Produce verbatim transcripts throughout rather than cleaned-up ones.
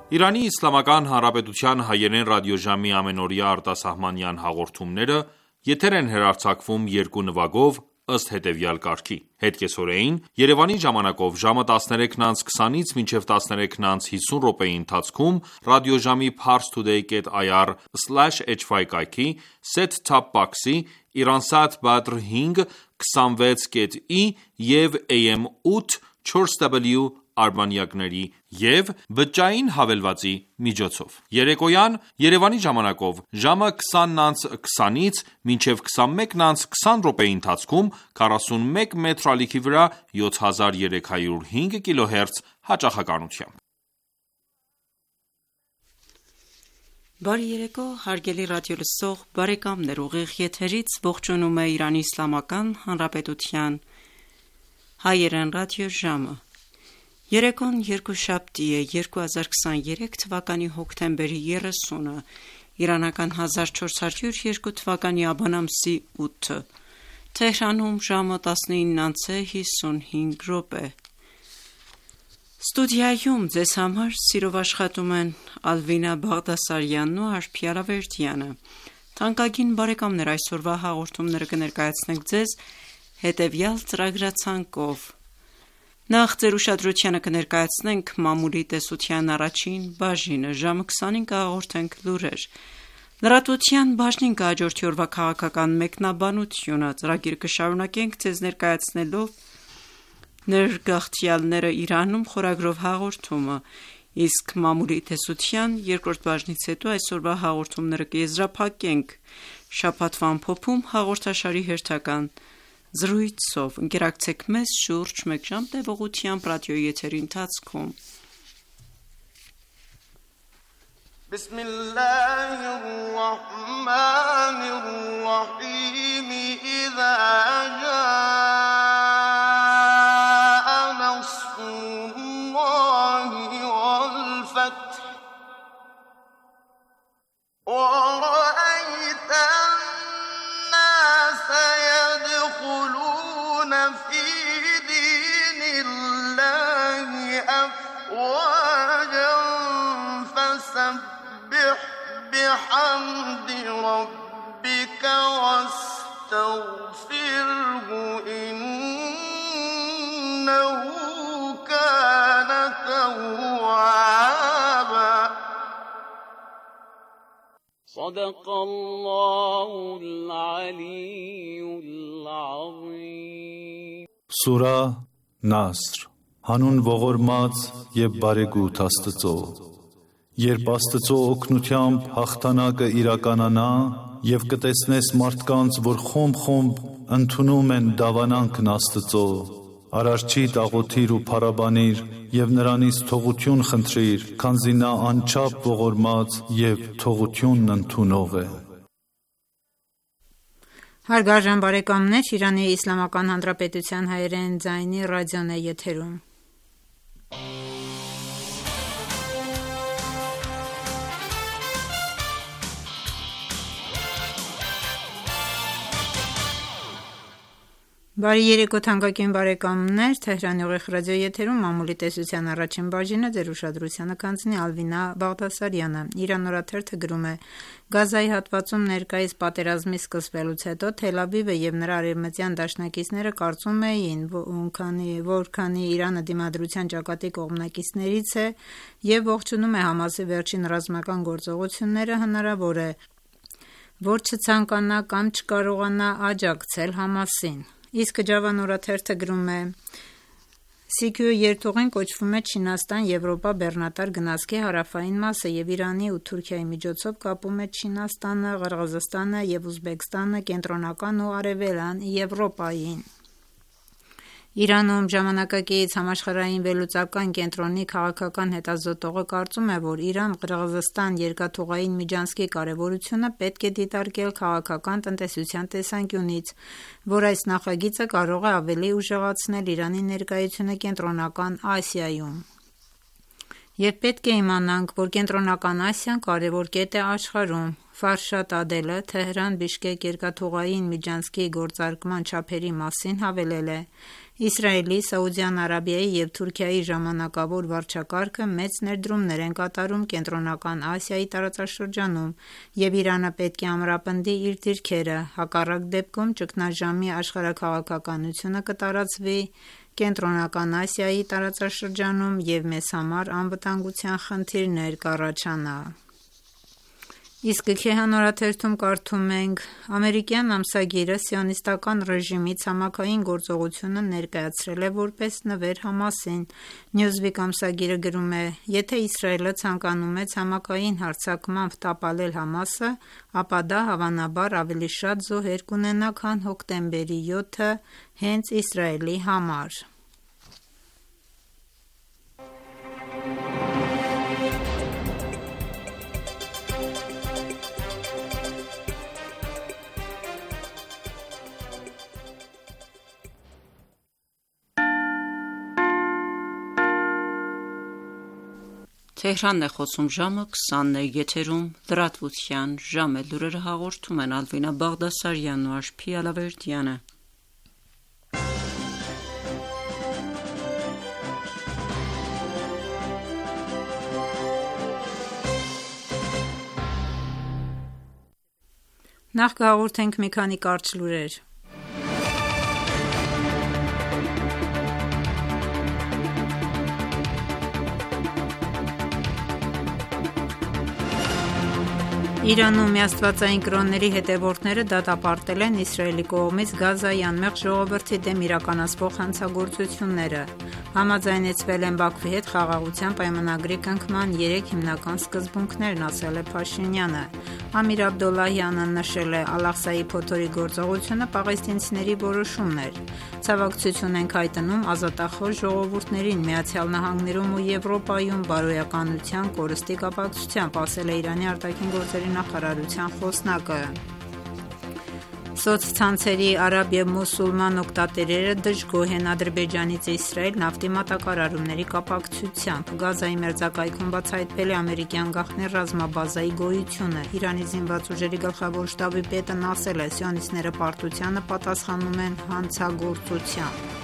Իրանի Իսլամական Հանրապետության հայերեն ռադիոժամի ամենօրյա արտասահմանյան հաղորդումները եթեր են հեռարձակվում երկու նվագով ըստ հետևյալ կարգի: Հետկեսօրեին Երևանի ժամանակով ժամը տասներեքն անց քսանից մինչև տասներեքն անց հիսուն րոպեի ընթացքում ռադիոժամի parstoday dot i r slash h y կայքի, set-top box-ի, Iransat Badr հինգ քսանվեց կետ ի և A M ութ չորս w արբանյակների և բջջային հավելվածի միջոցով: Երեկոյան Երևանի ժամանակով ժամը քսանն անց քսանից մինչև քսանմեկն անց քսան րոպեի ընթացքում քառասունմեկ մետր ալիքի վրա յոթ հազար երեք հարյուր հինգ կիլոհերց հաճախականությամբ: Բարի երեկո հարգելի ռադիոլսող բարեկամներ, ուղիղ եթերից ողջունում է Իրանի Իսլամական Հանրապետության հայերեն ռադիոժամը: Երեկոն երկուշաբթի է, երկու հազար քսաներեք թվականի հոկտեմբերի երեսունը, իրանական հազար չորս հարյուր երկու թվականի աբան ամսի ութը, Թեհրանում ժամը տասնինն անց է հիսունհինգ րոպե: Ստուդիայում ձեզ համար սիրով աշխատում են Ալվինա Բաղդասարյանն ու Արփի Ալավերդյանը: Թանկագին բարեկամներ, այսօրվա հաղորդումները կներկայացնենք ձեզ հետևյալ ծրագրացանկով: Նախ ձեր ուշադրությանը կներկայացնենք մամուլի տեսության առաջին բաժինը, ժամը քսանին կհաղորդենք լուրեր, լրատվության բաժնին կհաջորդի օրվա քաղաքական մեկնաբանությունը, ծրագիրը կշարունակենք ձեզ ներկայացնելով «Ներգաղթյալները Իրանում» խորագրով հաղորդումը, իսկ մամուլի տեսության երկրորդ բաժնից հետո այսօրվա հաղորդումները կեզրափակենք «Շաբաթվա ամփոփում» հաղորդաշարի հերթական զրույցով: Ընկերակցեք մեզ շուրջ մեկ ժամ տևողությամբ ռադիոյի եթերի ընթացքում: Սուրա Նասր Հանուն ողորմած և բարեգութ Աստծո: Երբ Աստծո օգնությամբ հաղթանակը իրականանա և կտեսնես մարդկանց, որ խումբ-խումբ ընդունում են դավանանքն Աստծո, Արարչիդ աղոթիր ու փառաբանիր և նրանից թողություն խնդրիր, քանզի նա անչափ ողորմած և թողությունն ընդունող է: Հարգարժան բարեկամներ, Իրանի Իսլամական Հանրապետության հայերեն ձայնի ռադիոն է եթերում: Բարի երեկո թանկագին բարեկամներ, Թեհրանի ուղիղ ռադիոյի եթերում մամուլի տեսության առաջին բաժինը ձեր ուշադրությանը կհանձնի Ալվինա Բաղդասարյանը: Իրանական օրաթերթը գրում է. Գազայի հատվածում ներկայիս պատերազմի սկսվելուց հետո Թել Ավիվը և նրա արևմտյան դաշնակիցները կարծում էին, որ քանի Իրանը դիմադրության ճակատի կողմնակիցներից է և ողջունում է Համասի վերջին ռազմական գործողությունները, հնարավոր է, որ չցանկանա կամ չկարողանա աջակցել Համասին: Իսկ Ջավան օրաթերթը գրում է. Սի Քյու երթուղին կոչվում է Չինաստան-Եվրոպա բեռնատար գնացքի հարավային մասը և Իրանի ու Թուրքիայի միջոցով կապում է Չինաստանը, Ղրղզստանը և Ուզբեկստանը կենտրոնական ու արևելյան Եվրոպային: Իրանում ժամանակակից Համաշխարհային վերլուծական կենտրոնի քաղաքական հետազոտողը կարծում է, որ Իրան-Ղրղզստան երկաթուղային միջանցքի կարևորությունը պետք է դիտարկել քաղաքական տնտեսության տեսանկյունից, որ այս նախագիծը կարող է ավելի ուժեղացնել Իրանի ներկայությունը Կենտրոնական Ասիայում: Եվ պետք է իմանանք, որ Կենտրոնական Ասիան կարևոր կետ է աշխարհում: Ֆարշադ Ադելը Թեհրան-Բիշկեք երկաթուղային միջանցքի գործարկման չափերի մասին հավելել է. Իսրայելի, Սաուդյան Արաբիայի և Թուրքիայի ժամանակավոր վարչակարգը մեծ ներդրումներ են կատարում Կենտրոնական Ասիայի տարածաշրջանում և Իրանը պետք է ամրապնդի իր դիրքերը, հակառակ դեպքում ճգնաժամի աշխարհաքաղաքականությունը կտարածվի Կենտրոնական Ասիայի տարածաշրջանում և մեզ համար անվտանգության խնդիրներ կառաջանա: Իսկ Քեհան օրաթերթում կարդում ենք. «Ամերիկյան ամսագիրը Սիոնիստական ռեժիմի ցամաքային գործողությունը ներկայացրել է որպես նվեր Համասին»: Newsweek ամսագիրը գրում է. «Եթե Իսրայելը ցանկանում է ցամաքային հարձակմամբ տապալել Համասը, ապա դա հավանաբար ավելի շատ զոհեր կունենա, քան հոկտեմբերի յոթը հենց Իսրայելի համար»: Նախ կհաղորդենք մի քանի կարճ լուրեր: Իրանում միաստվածային կրոնների հետևորդները դատապարտել են Իսրայելի կողմից Գազայի անմեղ ժողովրդի դեմ իրականացվող հանցագործությունները: Համաձայնեցվել են Բաքվի հետ Խաղաղության պայմանագրի կնքման երեք հիմնական սկզբունքներն, ասել է Փաշինյանը: Ամիր Աբդոլլահյանը նշել է. «Ալ-Աղսայի փոթորիկ գործողությունը պաղեստինցիների որոշումն էր: Ցավակցություն ենք հայտնում ազատախոհ ժողովուրդներին ԱՄՆ-ում ու Եվրոպայում բարոյականության կորստի կապակցությամբ», ասել է Իրանի ԱԳ նախարարության խոսնակը: Սոցցանցերի արաբ և մուսուլման օգտատերերը դժգոհ են Ադրբեջանից Իսրայել նավթի մատակարարումների կապակցությամբ: Գազայի մերձակայքում բացահայտվել է ամերիկյան գաղտնի ռազմաբազայի գոյությունը: Իրանի զինված ուժերի գլխավոր շտաբի պետն ասել է. «Սիոնիստները պարտությանը պատասխանում են հանցագործությամբ»: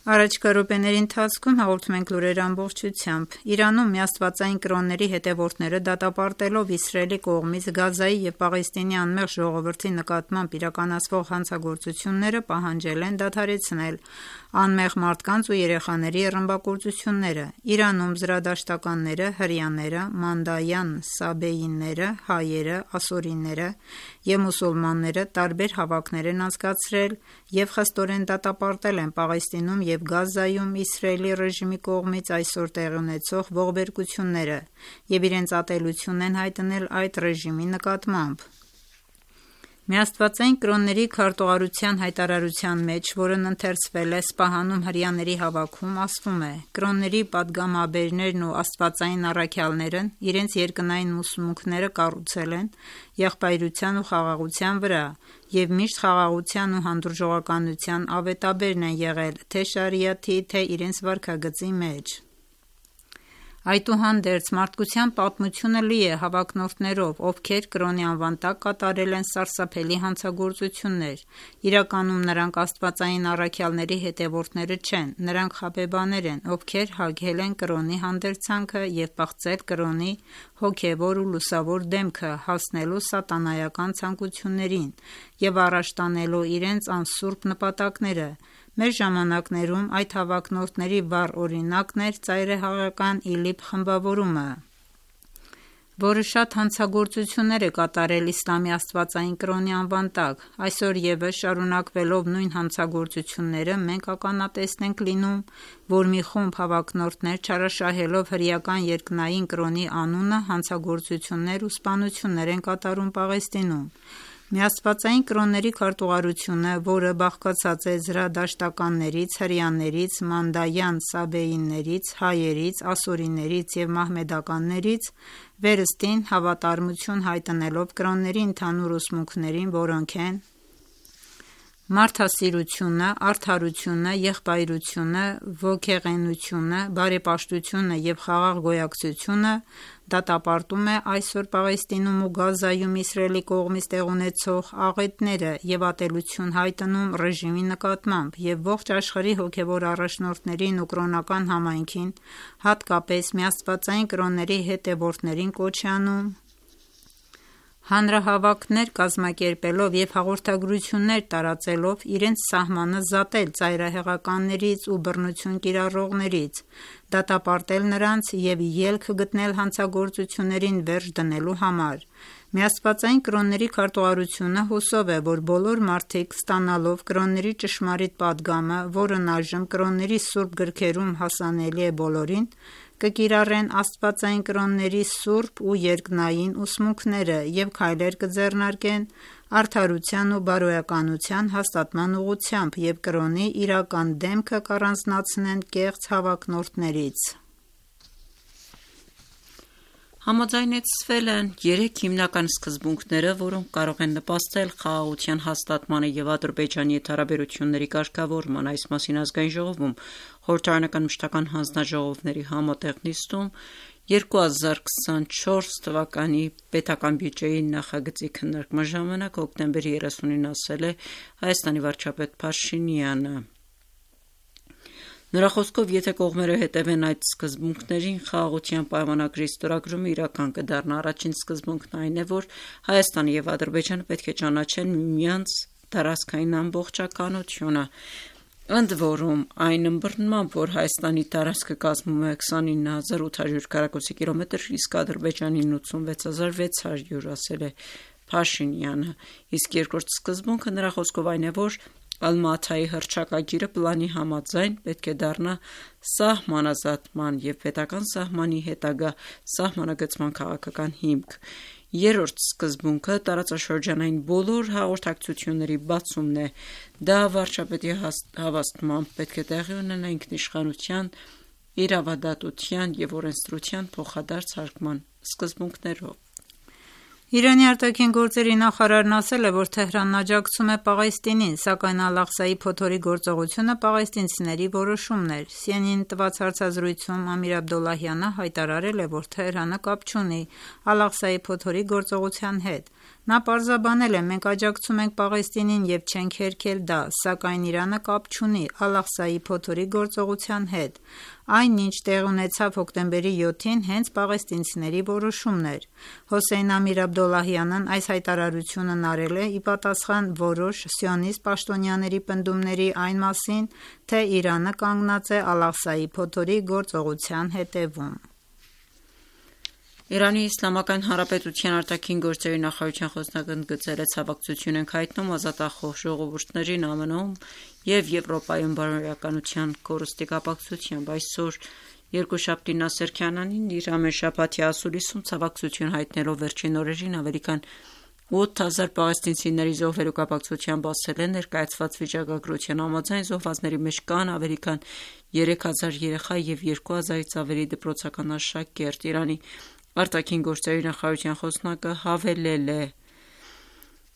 Առաջիկա րոպեների ընթացքում հաղորդում ենք լուրերը ամբողջությամբ: Իրանում միաստվածային կրոնների հետևորդները դատապարտելով Իսրայելի կողմից Գազայի և Պաղեստինի անմեղ ժողովրդի նկատմամբ իրականացվող հանցագործությունները պահանջել են դադարեցնել անմեղ մարդկանց ու երեխաների ռմբակոծությունները: Իրանում զրադաշտականները, հրեաները, մանդայան սաբեիները, հայերը, ասորիները և մուսուլմանները տարբեր հավաքներ են անցկացրել և խստորեն դատապարտել են Պաղեստինում և Գազայում Իսրայելի ռեժիմի կողմից այսօր տեղի ունեցող ողբերգությունները և իրենց ատելությունն են հայտնել այդ ռեժիմի նկատմամբ: Միաստվածային կրոնների քարտուղարության հայտարարության մեջ, որն ընթերցվել է Սպահանում հրեաների հավաքում, ասվում է. «Կրոնների պատգամաբերներն ու աստվածային առաքյալներն իրենց երկնային ուսմունքները կառուցել են եղբայրության ու խաղաղության վրա և միշտ խաղաղության ու հանդուրժողականության ավետաբերն են եղել թե շարիաթի, թե իրենց վարքագծի մեջ: Այդուհանդերձ, մարդկության պատմությունը լի է հավակնորդներով, ովքեր կրոնի անվան տակ կատարել են սարսափելի հանցագործություններ: Իրականում նրանք աստվածային առաքյալների հետևորդները չեն: Նրանք խաբեբաներ են, ովքեր հագել են կրոնի հանդերձանքը և պղծել կրոնի հոգևոր ու լուսավոր դեմքը հասնելու սատանայական ցանկություններին և առաջ տանելու իրենց անսուրբ նպատակները: Մեր ժամանակներում այդ հավակնորդների վառ օրինակն էր ծայրահեղական ԻԼԻՊ խմբավորումը, որը շատ հանցագործություններ է կատարել իսլամի աստվածային կրոնի անվան տակ: Այսօր ևս շարունակվելով նույն հանցագործությունները, մենք ականատեսն ենք լինում, որ մի խումբ հավակնորդներ չարաշահելով հրեական երկնային կրոնի անունը հանցագործություններ ու սպանություններ են կատարում Պաղեստինում: Միաստվածային կրոնների քարտուղարությունը, որը բաղկացած է զրադաշտականներից, հրեաներից, մանդայան սաբեիներից, հայերից, ասորիներից և մահմեդականներից, վերստին հավատարմություն հայտնելով կրոնների ընդհանուր ուսմունքներին, որոնք են Մարդասիրությունը, արդարությունը, եղբայրությունը, ոգեղենությունը, բարեպաշտությունը և խաղաղ գոյակցությունը դատապարտում է այսօր Պաղեստինում ու Գազայում Իսրայելի կողմից տեղի ունեցող աղետները և ատելություն հայտնում ռեժիմի նկատմամբ և ողջ աշխարհի հոգևոր առաջնորդներին ու կրոնական համայնքին, հատկապես միաստվածային կրոնների հետևորդներին կոչ է անում հանրահավաքներ կազմակերպելով և հաղորդագրություններ տարածելով իրենց սահմանը զատել ծայրահեղականներից ու բռնություն կիրառողներից, դատապարտել նրանց և ելք գտնել հանցագործություններին վերջ դնելու համար: Միաստվածային կրոնների քարտուղարությունը հուսով է, որ բոլոր մարդիկ ստանալով կրոնների ճշմարիտ պատգամը, որն այժմ կրոնների սուրբ գրքերում հասանելի է բոլորին, կկիրառեն աստվածային կրոնների սուրբ ու երկնային ուսմունքները և քայլեր կձեռնարկեն արդարության ու բարոյականության հաստատման ուղղությամբ և կրոնի իրական դեմքը կառանձնացնեն կեղծ հավակնորդներից: Համաձայնեցվել են երեք հիմնական սկզբունքները, որոնք կարող են նպաստել խաղաղության հաստատմանը և Ադրբեջանի հետ հարաբերությունների կարգավորմանը: Այս մասին Ազգային ժողովում խորհրդարանական մշտական հանձնաժողովների համատեղ նիստում երկու հազար քսանչորս թվականի պետական բյուջեի նախագծի քննարկման ժամանակ հոկտեմբերի երեսունին ասել է Հայաստանի վարչապետ Փաշինյանը: Նրա խոսքով, եթե կողմերը հետևեն այդ սկզբունքներին, խաղաղության պայմանագրի ստորագրումը իրական կդառնա: Առաջին սկզբունքն այն է, որ Հայաստանը և Ադրբեջանը պետք է ճանաչեն միմյանց տարածքային ամբողջականությունը: Ընդ որում, այն ըմբռնմամբ, որ Հայաստանի տարածքը կազմում է քսանինը հազար ութ հարյուր քառակուսի կիլոմետր, իսկ Ադրբեջանին ութսունվեց հազար վեց հարյուր, ասել է Փաշինյանը: Իսկ երկրորդ սկզբունքը նրա խոսքով այն է, որ Ալմաթայի հռչակագիրը պլանի համաձայն պետք է դառնա սահմանազատման և պետական սահմանի հետագա սահմանագծման քաղաքական հիմք: Երրորդ սկզբունքը տարածաշրջանային բոլոր հաղորդակցությունների բացումն է: Դա վարչապետի հավաստմամբ պետք է տեղի ունենա ինքնիշխանության, իրավադատության և օրենսդրության փոխադարձ հարգման սկզբունքներով: Իրանի արտաքին գործերի նախարարն ասել է, որ Թեհրանն աջակցում է Պաղեստինին, սակայն Ալ-Աղսայի փոթորի գործողությունը պաղեստինցիների որոշումն էր: Սի Են Են-ին տված հարցազրույցում Ամիր Աբդոլլահյանը հայտարարել է, որ Թեհրանը կապ չունի Ալ-Աղսայի փոթորի գործողության հետ: Նա պարզաբանել է. «Մենք աջակցում ենք Պաղեստինին և չենք հերքել դա, սակայն Իրանը կապ չունի Ալ-Աղսայի փոթորի գործողության հետ: Այն, ինչ տեղի ունեցավ հոկտեմբերի յոթին, հենց պաղեստինցիների որոշումն էր»: Հոսեյն Ամիր Աբդոլլահյանն այս հայտարարությունն արել է ի պատասխան որոշ սիոնիստ պաշտոնյաների պնդումների այն մասին, թե Իրանը կանգնած է Ալ-Աղսայի փոթորի գործողության հետևում: Իրանի Իսլամական Հանրապետության արտաքին գործերի նախարարության խոսնակն ընդգծել է. «Ցավակցություն ենք հայտնում ազատախոհ ժողովուրդներին ԱՄՆ-ում և Եվրոպայում բարոյականության կորստի կապակցությամբ: Այսօր երկուշաբթի Նասեր Քանանին իր ամենաշաբաթյա ասուլիսում ցավակցություն հայտնելով վերջին օրերին ավելի քան ութ հազար պաղեստինցիների զոհվելու կապակցությամբ ասել է. «Ներկայացված վիճակագրության համաձայն զոհվածների մեջ կան ավելի քան երեք հազար երեխա և երկու հազարից ավելի դպրոցական աշակերտ»: Իրանի արտաքին գործերի նախարարության խոսնակը հավելել է.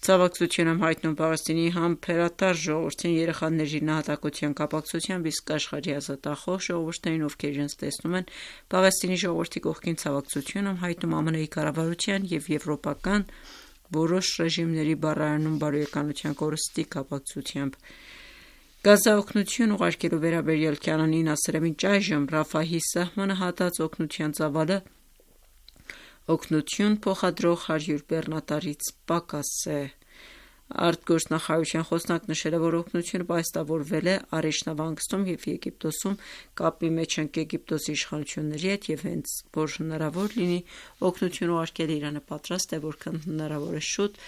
«Ցավակցություն եմ հայտնում Պաղեստինի համբերատար ժողովրդին երեխաների նահատակության կապակցությամբ, իսկ աշխարհի ազատախոհ ժողովուրդներին, ովքեր իրենց տեսնում են Պաղեստինի ժողովրդի կողքին, ցավակցություն եմ հայտնում ԱՄՆ-ի կառավարության և եվրոպական որոշ ռեժիմների բառարանում բարոյականության կորստի կապակցությամբ»: Գազա օգնություն ուղարկելու վերաբերյալ Քանանին ասել է. «Մինչ այժմ Ռաֆահի սահմանը հատած օգնության ծավալը օգնություն փոխադրող հարյուր բեռնատարից պակաս է»: Արտգործնախարարության խոսնակն նշել է, որ օգնությունը պահեստավորվել է Արեշ նավահանգստում և Եգիպտոսում կապի մեջ ենք Եգիպտոսի իշխանությունների հետ և հենց որ հնարավոր լինի օգնություն ուղարկել, Իրանը պատրաստ է որքան հնարավոր է շուտ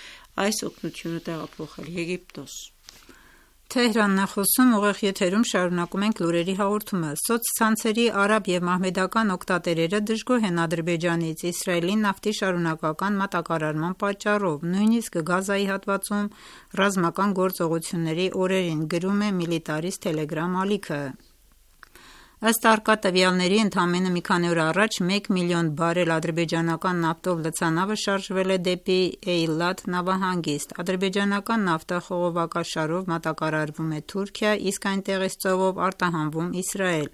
այս օգնությունը տեղափոխել Եգիպտոս: Սոցցանցերի արաբ և մահմեդական օգտատերերը դժգոհ են Ադրբեջանից Իսրայելի նավթի շարունակական մատակարարման պատճառով, նույնիսկ Գազայի հատվածում ռազմական գործողությունների օրերին, գրում է Միլիտարիս թելեգրամ ալիքը: Ըստ առկա տվյալների, ընդամենը մի քանի օր առաջ մեկ միլիոն բարել ադրբեջանական նավթով լցանավը շարժվել է դեպի Էյլատ նավահանգիստ։ Ադրբեջանական նավթը խողովակաշարով մատակարարվում է Թուրքիա, իսկ այնտեղից ծովով արտահանվում Իսրայել։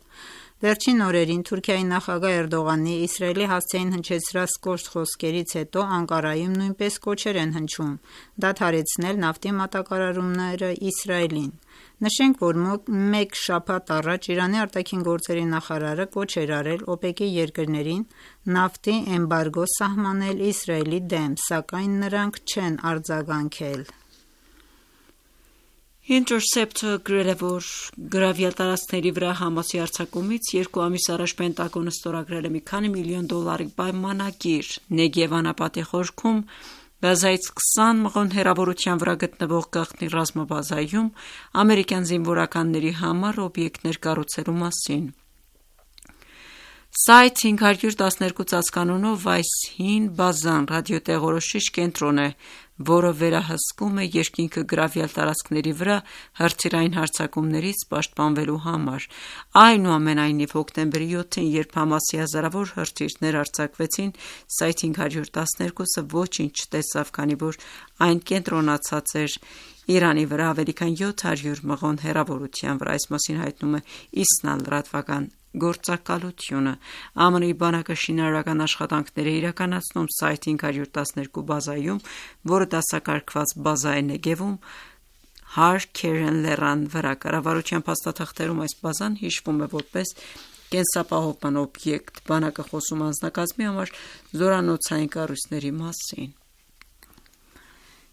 Վերջին օրերին Թուրքիայի նախագահ Էրդողանի Իսրայելի հասցեին հնչեցրած կոշտ խոսքերից հետո Անկարայում նույնպես կոչեր են հնչում դադարեցնել նավթի մատակարարումները Իսրայելին։ Նշենք, որ մեկ շաբաթ առաջ Իրանի արտաքին գործերի նախարարը կոչ էր արել ՕՊԵԿ-ի երկրներին նավթի էմբարգո սահմանել Իսրայելի դեմ, սակայն նրանք չեն արձագանքել։ Intercept-ը գրել է, որ գրավյալ տարածքների վրա Համասի հարձակումից երկու ամիս առաջ Պենտագոնը ստորագրել է մի քանի միլիոն դոլարի պայմանագիր Նեգև անապատի խորքում Գազայից քսան մղոն հեռավորության վրա գտնվող գաղտնի ռազմաբազայում ամերիկյան զինվորականների համար օբյեկտներ կառուցելու մասին։ Site հինգ հարյուր տասներկու ծածկանունով այս հին բազան ռադիոտեղորոշիչ կենտրոն է, որը վերահսկում է երկինքը գրավյալ տարածքների վրա հրթիռային հարձակումներից պաշտպանվելու համար։ Այնուամենայնիվ, հոկտեմբերի յոթին, երբ Համասի հազարավոր հրթիռներ արձակվեցին, Site հինգ հարյուր տասներկուսը ոչինչ չտեսավ, քանի որ այն կենտրոնացած էր Իրանի վրա ավելի քան յոթ հարյուր մղոն հեռավորության վրա։ Այս մասին հայտնում է Իսնա լրատվական գործակալությունը։ ԱՄՆ-ի բանակը շինարարական աշխատանքներ է իրականացնում Site հինգ հարյուր տասներկու բազայում, որը դասակարգված բազա է Նեգևում Har Keren լեռան վրա։ Կառավարության փաստաթղթերում այս բազան հիշվում է որպես կենսապահովման օբյեկտ։ Բանակը խոսում անձնակազմի համար զորանոցային կառույցների մասին։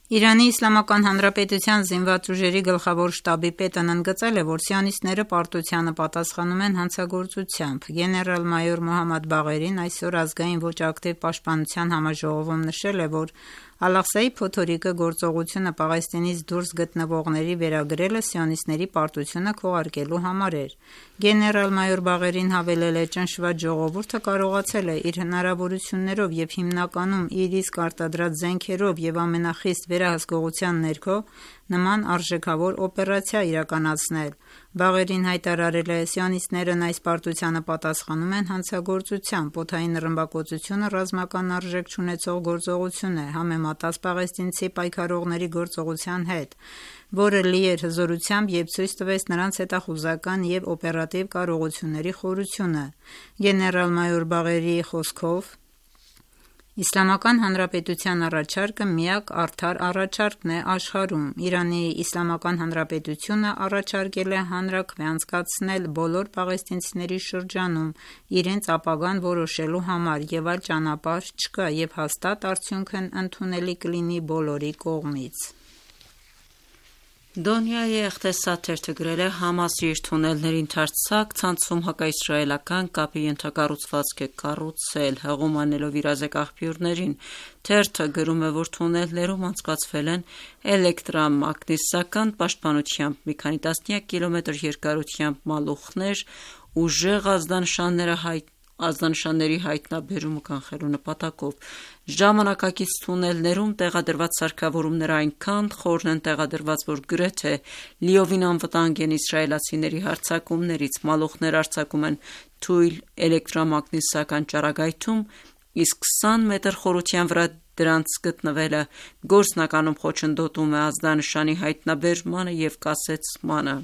Իրանի Իսլամական Հանրապետության զինված ուժերի գլխավոր շտաբի պետն ընդգծել է, որ սիոնիստները պարտությանը պատասխանում են հանցագործությամբ։ Գեներալ-մայոր Մոհամմադ Բաղերին այսօր ազգային ոչ ակտիվ պաշտպանության համաժողովում նշել է, որ Ալ-Աղսայի փոթորիկը գործողությունը Պաղեստինից դուրս գտնվողների վերագրելը սիոնիստների պարտությունը քողարկելու համար էր։ Գեներալ-մայոր Բաղերին հավելել է. «Ճնշված ժողովուրդը կարողացել է իր հնարավորություններով և հիմնականում իր իսկ արտադրած զենքերով և ամենախիստ վերահսկողության ներքո նման արժեքավոր օպերացիա իրականացնել»։ Բաղերին հայտարարել է. «Սիոնիստներն այս պարտությանը պատասխանում են հանցագործությամբ։ Օդային ռմբակոծությունը ռազմական արժեք չունեցող գործողություն է, համեմատած պաղեստինցի պայքարողների գործողության հետ, որը լի էր հզորությամբ և ցույց տվեց նրանց հետախուզական և օպերատիվ կարողությունների խորությունը»։ Գեներալ-մայոր Բաղերիի խոսքով, Իսլամական Հանրապետության առաջարկը միակ արդար առաջարկն է աշխարհում։ Իրանի Իսլամական Հանրապետությունը առաջարկել է հանրաքվե անցկացնել բոլոր պաղեստինցիների շրջանում իրենց ապագան որոշելու համար, և այլ ճանապարհ չկա, և հաստատ արդյունքն ընդունելի կլինի բոլորի կողմից։ Դոնյայի Էղտեսաթերթը գրել է. Համասը իր թունելների ընդարձակ ցանցում հակաիսրայելական կապի ենթակառուցվածք է կառուցել, հղում անելով իրազեկ աղբյուրներին։ Թերթը գրում է, որ թունելներում անցկացվել են էլեկտրամագնիսական պաշտպանությամբ մի քանի տասնյակ կիլոմետր երկարությամբ մալուխներ, ուժեղ ազդանշանները հայտ ազդանշանների հայտնաբերումը կանխելու նպատակով։ Ժամանակակից թունելներում տեղադրված սարքավորումները այնքան խորն են տեղադրված, որ գրեթե լիովին անվտանգ են իսրայելացիների հարձակումներից։ Մալուխներ արձակում են թույլ էլեկտրամագնիսական ճառագայթում, իսկ քսան մետր խորության վրա դրանց գտնվելը գործնականում խոչընդոտում է ազդանշանի հայտնաբերմանը և կասեցմանը։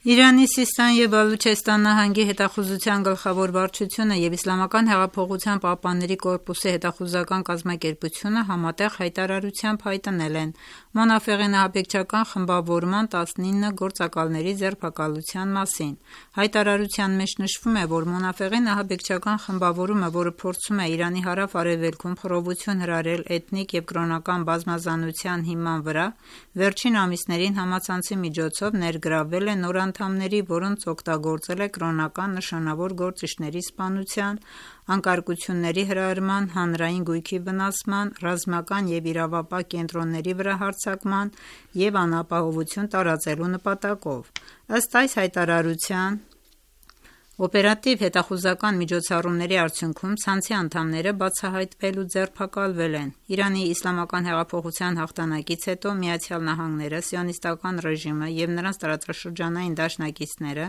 Իրանի Սիստան և Բալուչեստան նահանգի հետախուզության գլխավոր վարչությունը և Իսլամական հեղափոխության պահպանների կորպուսի հետախուզական կազմակերպությունը համատեղ հայտարարությամբ հայտնել են Մոնաֆեղի ահաբեկչական խմբավորման տասնինը գործակալների ձերբակալության մասին։ Հայտարարության մեջ նշվում է, որ Մոնաֆեղի ահաբեկչական խմբավորումը, որը փորձում է Իրանի հարավ-արևելքում խռովություն հրահրել էթնիկ և կրոնական բազմազանության հիման վրա, վերջին ամիսներին համացանցի միջոցով ներգրավվել է նոր անդամների, որոնց օգտագործել է կրոնական նշանավոր գործիչների սպանության, անկարգությունների հրահրման, հանրային գույքի վնասման, ռազմական և իրավապահ կենտրոնների վրա հարձակման և անապահովություն տարածելու նպատակով։ Ըստ այս հայտարարության, Օպերատիվ հետախուզական միջոցառումների արդյունքում ցանցի անդամները բացահայտվել ու ձերբակալվել են։ Իրանի իսլամական հեղափոխության հաղթանակից հետո Միացյալ Նահանգները, Սիոնիստական ռեժիմը և նրանց տարածաշրջանային դաշնակիցները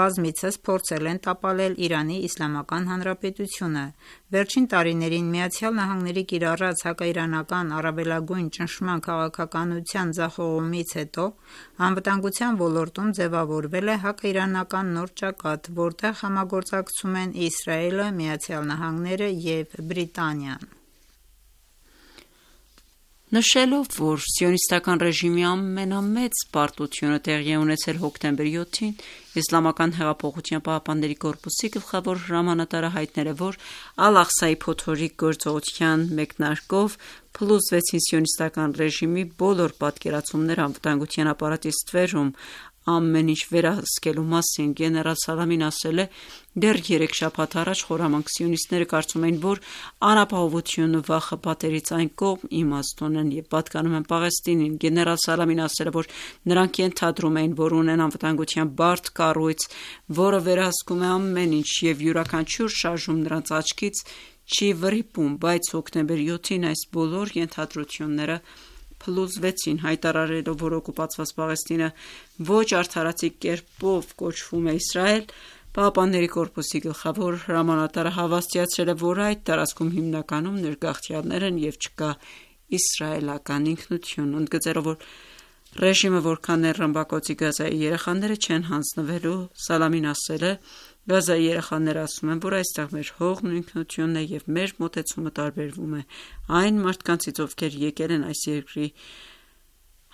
բազմիցս փորձել են տապալել Իրանի Իսլամական Հանրապետությունը։ Վերջին տարիներին Միացյալ Նահանգների կիրառած հակաիրանական առավելագույն ճնշման քաղաքականության ձախողումից հետո անվտանգության ոլորտում ձևավորվել է հակաիրանական նոր ճակատ, որտեղ համագործակցում են Իսրայելը, Միացյալ Նահանգները և Բրիտանիան։ Նշելով, որ սիոնիստական ռեժիմի ամենամեծ պարտությունը տեղի է ունեցել հոկտեմբերի յոթին, Իսլամական հեղափոխության պահապանների կորպուսի գլխավոր հրամանատարը հայտնել է, որ Ալ-Աղսայի փոթորիկ գործողության մեկնարկով փլուզվեցին սիոնիստական ռեժիմի բոլոր պատկերացումները անվտանգության ապարատի ստվերում ամեն ինչ վերահսկելու մասին։ Գեներալ Սալամին ասել է. «Դեռ երեք շաբաթ առաջ խորամանկ սիոնիստները կարծում էին, որ անապահովությունն ու վախը պատերից այն կողմ իմաստ ունեն և պատկանում են Պաղեստինին»։ Գեներալ Սալամին ասել է, որ նրանք ենթադրում էին, որ ունեն անվտանգության բարդ կառույց, որը վերահսկում է ամեն ինչ և յուրաքանչյուր շարժում նրանց աչքից չի վրիպում, բայց հոկտեմբերի յոթին այս բոլոր ենթադրությունները փլուզվեցին։ Հայտարարելով, որ օկուպացված Պաղեստինը ոչ արդարացի կերպով կոչվում է Իսրայել, Պահապանների կորպուսի գլխավոր հրամանատարը հավաստիացրել է, որ այդ տարածքում հիմնականում ներգաղթյալներ են և չկա իսրայելական ինքնություն։ Ընդգծելով, որ ռեժիմը որքան էլ ռմբակոծի Գազայի երեխաները չեն հանձնվելու, Սալամին ասել է. «Գազայի երեխաները ասում են, որ այստեղ մեր հողն ու ինքնությունն է և մեր մոտեցումը տարբերվում է այն մարդկանցից, ովքեր եկել են այս երկրի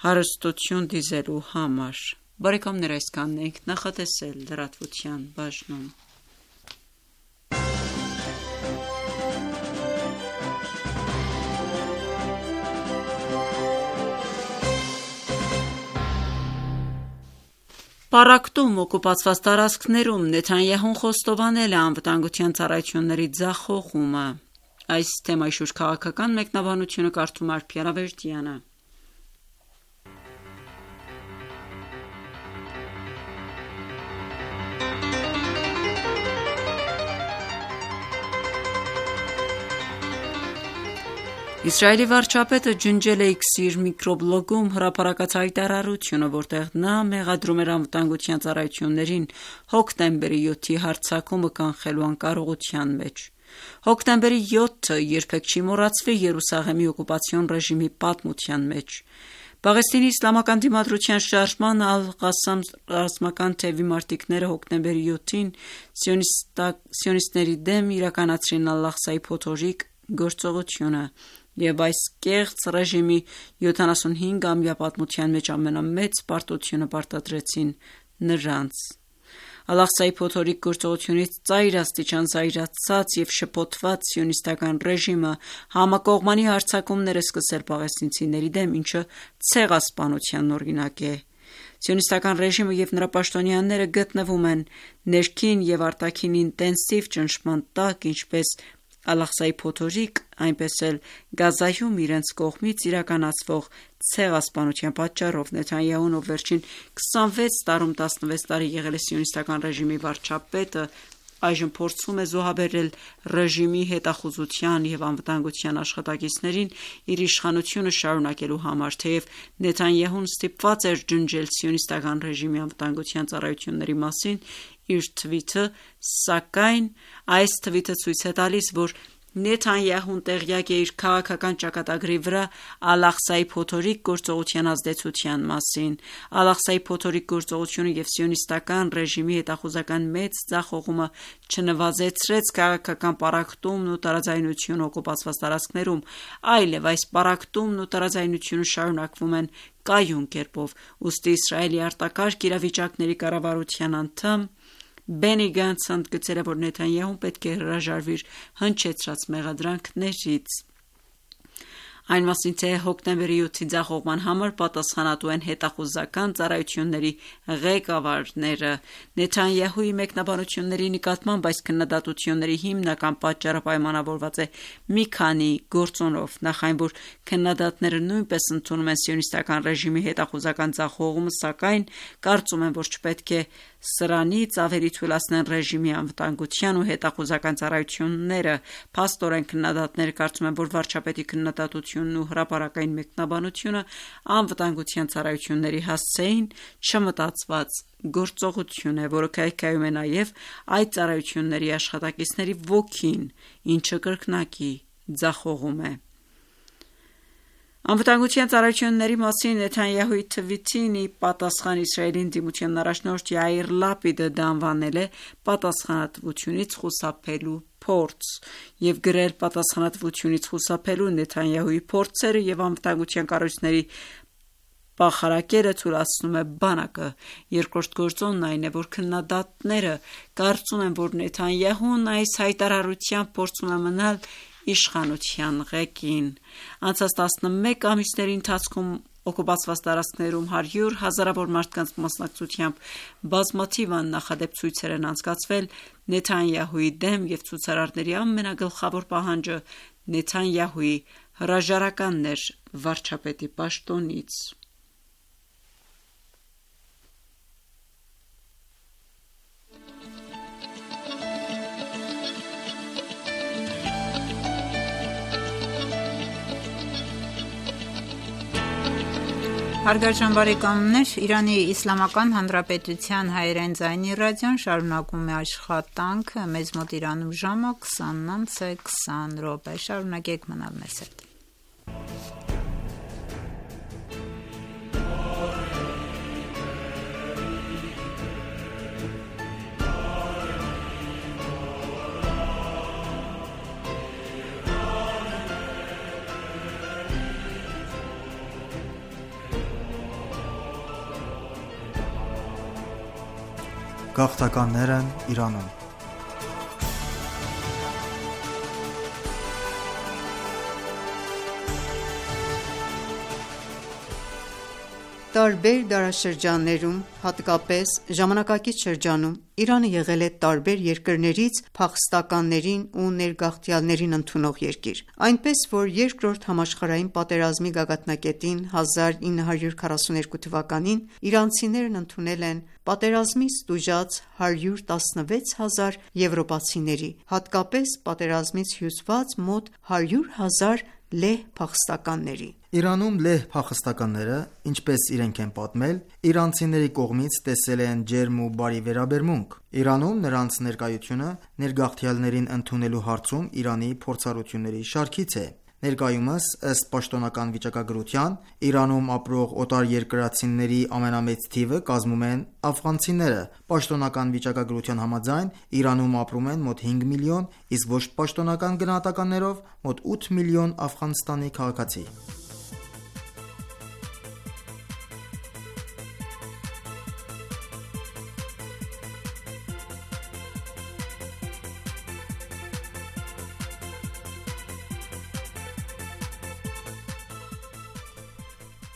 հարստություն դիզելու համար»։ Բարեկամներ, այսքանն էինք նախատեսել լրատվության բաժնում։ Պարակտում օկուպացված տարածքներում Նեթանյահուն խոստովանել է անվտանգության ծառայությունների ձախողումը։ Այս թեմայի շուրջ քաղաքական մեկնաբանությունը կարդում է Արփի Արավերդյանը։ Իսրայելի վարչապետը ջնջել է X-ի իր միկրոբլոգում հրապարակած հայտարարությունը, որտեղ նա մեղադրում էր անվտանգության ծառայություններին հոկտեմբերի յոթի հարձակումը կանխելու անկարողության մեջ։ Հոկտեմբերի յոթը երբեք չի մոռացվի Երուսաղեմի օկուպացիոն ռեժիմի պատմության մեջ։ Պաղեստինի իսլամական դիմադրության շարժման Ալ-Ղասամ ռազմական թևի մարտիկները հոկտեմբերի յոթին սիոնիստների դեմ իրականացրին Ալ-Աղսայի փոթորիկ գործողությունը և այս կեղծ ռեժիմի յոթանասունհինգամյա պատմության մեջ ամենամեծ պարտությունը պարտադրեցին նրանց։ Ալ-Աղսայի փոթորիկ գործողությունից ծայրաստիճան զայրացած և շփոթված սիոնիստական ռեժիմը համակողմանի հարձակումներ է սկսել պաղեստինցիների դեմ, ինչը ցեղասպանության օրինակ է։ Սիոնիստական ռեժիմը և նրա պաշտոնյաները գտնվում են ներքին և արտաքին ինտենսիվ ճնշման տակ, ինչպես Ալ-Աղսայի փոթորիկ, այնպես էլ Գազայում իրենց կողմից իրականացվող ցեղասպանության պատճառով։ Նեթանյահուն, ով վերջին քսանվեց տարում տասնվեց տարի եղել է սիոնիստական ռեժիմի վարչապետը, այժմ փորձում է զոհաբերել ռեժիմի հետախուզության և անվտանգության աշխատակիցներին իր իշխանությունը շարունակելու համար։ Թեև Նեթանյահուն ստիպված էր ջնջել սիոնիստական ռեժիմի անվտանգության ծառայությունների մասին իր թվիթը, սակայն այս թվիթը ցույց է տալիս, որ Նեթանյահուն տեղյակ է իր քաղաքական ճակատագրի վրա Ալ-Աղսայի փոթորիկ գործողության ազդեցության մասին։ Ալ-Աղսայի փոթորիկ գործողությունը և սիոնիստական ռեժիմի հետախուզական մեծ ձախողումը չնվազեցրեց քաղաքական պառակտումն ու տարաձայնությունը օկուպացված տարածքներում, այլև այս պառակտումն ու տարաձայնությունը շարունակվում են կայուն կերպով։ Ուստի Իսրայելի արտակարգ իրավիճակների կառավարության անդամ Բենի Գանցը ընդգծել է, որ Նեթանյահուն պետք է հրաժարվի իր հնչեցրած մեղադրանքներից։ Այն մասին, թե հոկտեմբերի յոթի ձախողման համար պատասխանատու են հետախուզական ծառայությունների ղեկավարները։ Նեթանյահուի մեկնաբանությունների նկատմամբ այս քննադատությունների հիմնական պատճառը պայմանավորված է մի քանի գործոնով։ Նախ այն, որ քննադատները նույնպես ընդունում են սիոնիստական ռեժիմի հետախուզական ձախողումը, սակայն կարծում են, որ չպետք է սրանից ավելի թույլատնեն ռեժիմի անվտանգության ու հետախուզական ծառայությունները։ Փաստորեն քննադատները կարծում են, որ վարչապետի քննադատությունն ու հրապարակային մեկնաբանությունը անվտանգության ծառայությունների հասցեին չմտածված գործողություն է, որը քայքայում է նաև այդ ծառայությունների աշխատակիցների ոգին, ինչը կրկնակի ձախողում է։ Անվտանգության ծառայությունների մասին Նեթանյահուի թվիթին ի պատասխան Իսրայելի ընդդիմության առաջնորդ Յայիր Լապիդը դա անվանել է պատասխանատվությունից խուսափելու փորձ և գրել պատասխանատվությունից խուսափելու Նեթանյահուի փորձերը և անվտանգության կառույցների պախարակելը թույլատրում է բանակը։ Երկրորդ գործոնն այն է, որ քննադատները կարծում են, որ Նեթանյահուն այս հայտարարությամբ փորձում է մնալ իշխանության ղեկին։ Անցած տասնմեկ ամիսների ընթացքում օկուպացված տարածքներում հարյուր հազարավոր մարդկանց մասնակցությամբ բազմաթիվ աննախադեպ ցույցեր են անցկացվել Նեթանյահուի դեմ, և ցուցարարների ամենագլխավոր պահանջը Նեթանյահուի հրաժարականն էր վարչապետի պաշտոնից։ Հարգարժան բարեկամներ, Իրանի Իսլամական Հանրապետության հայերեն ձայնի ռադիոն շարունակում է աշխատանքը։ Մեզ մոտ Իրանում ժամը քսանն անց է քսան րոպե։ Շարունակեք մնալ մեզ հետ։ Գաղթականներն Իրանում։ Տարբեր դարաշրջաններում, հատկապես ժամանակակից շրջանում, Իրանը եղել է տարբեր երկրներից փախստականներին ու ներգաղթյալներին ընդունող երկիր։ Այնպես, որ Երկրորդ համաշխարհային պատերազմի գագաթնակետին հազար ինը հարյուր քառասուներկու թվականին իրանցիներն ընդունել են պատերազմից տուժած հարյուր տասնվեց հազար եվրոպացիների, հատկապես պատերազմից հյուծված մոտ հարյուր հազար լեհ փախստականների։ Իրանում լեհ փախստականները, ինչպես իրենք են պատմել, իրանցիների կողմից տեսել են ջերմ ու բարի վերաբերմունք։ Իրանում նրանց ներկայությունը ներգաղթյալներին ընդունելու հարցում Իրանի փորձառությունների շարքից է։ Ներկայումս, ըստ պաշտոնական վիճակագրության, Իրանում ապրող օտարերկրացիների ամենամեծ թիվը կազմում են աֆղանցիները։ Պաշտոնական վիճակագրության համաձայն, Իրանում ապրում են մոտ հինգ միլիոն, իսկ ոչ պաշտոնական գնահատականներով մոտ ութ միլիոն Աֆղանստանի քաղաքացի։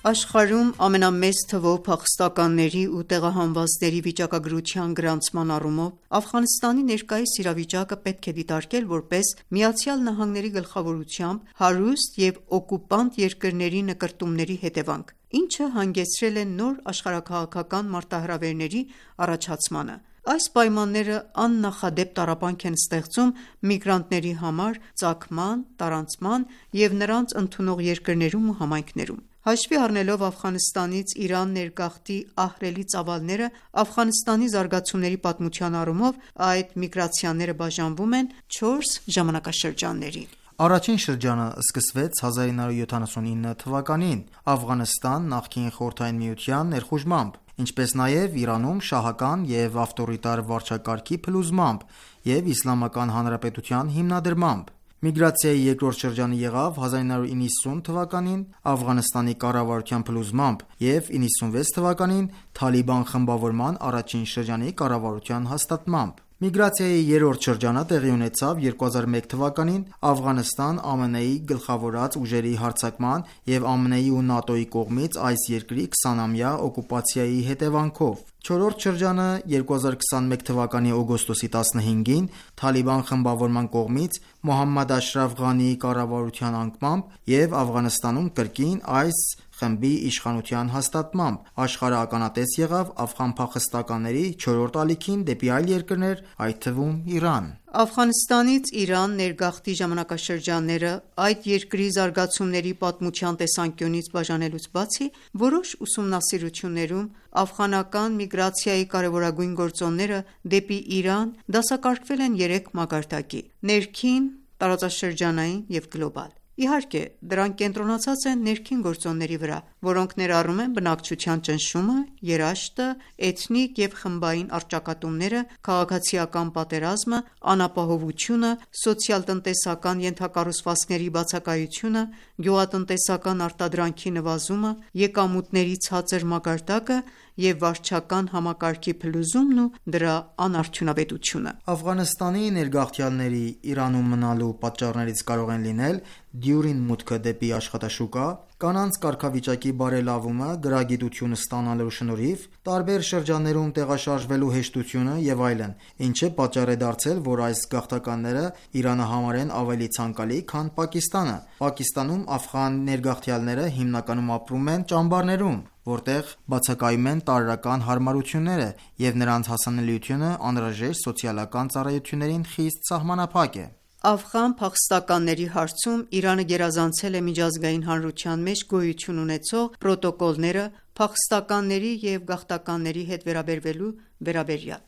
Աշխարհում ամենամեծ թվով փախստականների ու տեղահանվածների վիճակագրության գրանցման առումով Աֆղանստանի ներկայիս իրավիճակը պետք է դիտարկել որպես ԱՄՆ-ի գլխավորությամբ հարուստ և օկուպանտ երկրների նկրտումների հետևանք, ինչը հանգեցրել է նոր աշխարհաքաղաքական մարտահրավերների առաջացմանը։ Այս պայմանները աննախադեպ տառապանք են ստեղծում միգրանտների համար ծագման, տարանցման և նրանց ընդունող երկրներում ու համայնքներում։ Հաշվի առնելով Աֆղանստանից Իրան ներգաղթի ահռելի ծավալները, Աֆղանստանի զարգացումների պատմության առումով այդ միգրացիաները բաժանվում են չորս ժամանակաշրջանների։ Առաջին շրջանը սկսվեց հազար ինը հարյուր յոթանասունինը թվականին Աֆղանստան նախկին Խորհրդային Միության ներխուժմամբ, ինչպես նաև Իրանում շահական և ավտորիտար վարչակարգի փլուզմամբ և Իսլամական Հանրապետության հիմնադրմամբ։ Միգրացիայի երկրորդ շրջանը եղավ հազար ինը հարյուր իննսուն թվականին Աֆղանստանի կառավարության փլուզմամբ և իննսունվեց թվականին Թալիբան խմբավորման առաջին շրջանի կառավարության հաստատմամբ։ Միգրացիայի երրորդ շրջանը տեղի ունեցավ երկու հազար մեկ թվականին Աֆղանստան ԱՄՆ-ի գլխավորած ուժերի հարձակման և ԱՄՆ-ի ու ՆԱՏՕ-ի կողմից այս երկրի քսանամյա օկուպացիայի հետևանքով։ Չորրորդ շրջանը երկու հազար քսանմեկ թվականի օգոստոսի տասնհինգին Թալիբան խմբավորման կողմից Մոհամմադ Աշրաֆ Ղանիի կառավարության անկմամբ և Աֆղանստանում կրկին այս խմբի իշխանության հաստատմամբ աշխարհը ականատես եղավ աֆղան փախստականների չորրորդ ալիքին դեպի այլ երկրներ, այդ թվում Իրան։ Աֆղանստանից Իրան ներգաղթի ժամանակաշրջանները այդ երկրի զարգացումների պատմության տեսանկյունից բաժանելուց բացի, որոշ ուսումնասիրություններում աֆղանական միգրացիայի կարևորագույն գործոնները դեպի Իրան դասակարգվել են երեք մակարդակի՝ ներքին, տարածաշրջանային և գլոբալ։ Իհարկե, դրանք կենտրոնացած են ներքին գործոնների վրա, որոնք ներառում են բնակչության ճնշումը, երաշտը, էթնիկ և խմբային առճակատումները, քաղաքացիական պատերազմը, անապահովությունը, սոցիալ-տնտեսական ենթակառուցվածքների բացակայությունը, գյուղատնտեսական արտադրանքի նվազումը, եկամուտների ցածր մակարդակը և վարչական համակարգի փլուզումն ու դրա անարդյունավետությունը։ Աֆղանստանի ներգաղթյալների Իրանում մնալու պատճառներից կարող են լինել դյուրին մուտքը դեպի աշխատաշուկա, կանանց կարգավիճակի բարելավումը գրագիտություն ստանալու շնորհիվ, տարբեր շրջաններում տեղաշարժվելու հեշտությունը և այլն, ինչը պատճառ է դարձել, որ այս գաղթականները Իրանը համարեն ավելի ցանկալի, քան Պակիստանը։ Պակիստանում աֆղան ներգաղթյալները հիմնականում ապրում են ճամբարներում, որտեղ բացակայում են տարրական հարմարությունները, և նրանց հասանելիությունը անհրաժեշտ սոցիալական ծառայություններին խիստ սահմանափակ է։ Աֆղան փախստականների հարցում Իրանը գերազանցել է միջազգային հանրության մեջ գոյություն ունեցող պրոտոկոլները փախստականների և գաղթականների հետ վերաբերվելու վերաբերյալ։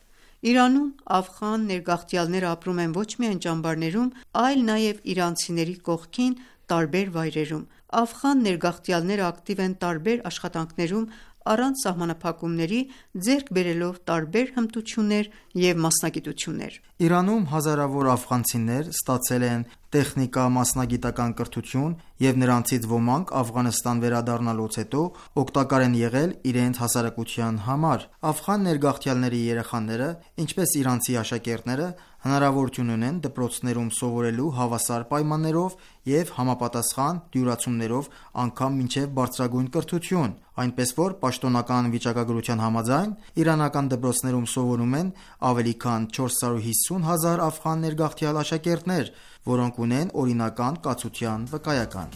Իրանում աֆղան ներգաղթյալները ապրում են ոչ միայն ճամբարներում, այլ նաև իրանցիների կողքին տարբեր վայրերում։ Աֆղան ներգաղթյալները ակտիվ են տարբեր աշխատանքներում առանց սահմանափակումների, ձեռք բերելով տարբեր հմտություններ և մասնագիտություններ։ Իրանում հազարավոր աֆղանցիներ ստացել են տեխնիկա-մասնագիտական կրթություն և նրանցից ոմանք Աֆղանստան վերադառնալուց հետո օգտակար են եղել իրենց հասարակության համար։ Աֆղան ներգաղթյալների երեխաները, ինչպես իրանցի աշակերտները, հնարավորություն ունեն դպրոցներում սովորելու հավասար պայմաններով և համապատասխան դյուրացումներով անգամ մինչև բարձրագույն կրթություն, այնպես որ պաշտոնական վիճակագրության համաձայն իրանական դպրոցներում սովորում են ավելի քան չորս հարյուր հիսուն հազար աֆղան ներգաղթյալ աշակերտներ, որոնք ունեն օրինական կացության վկայական։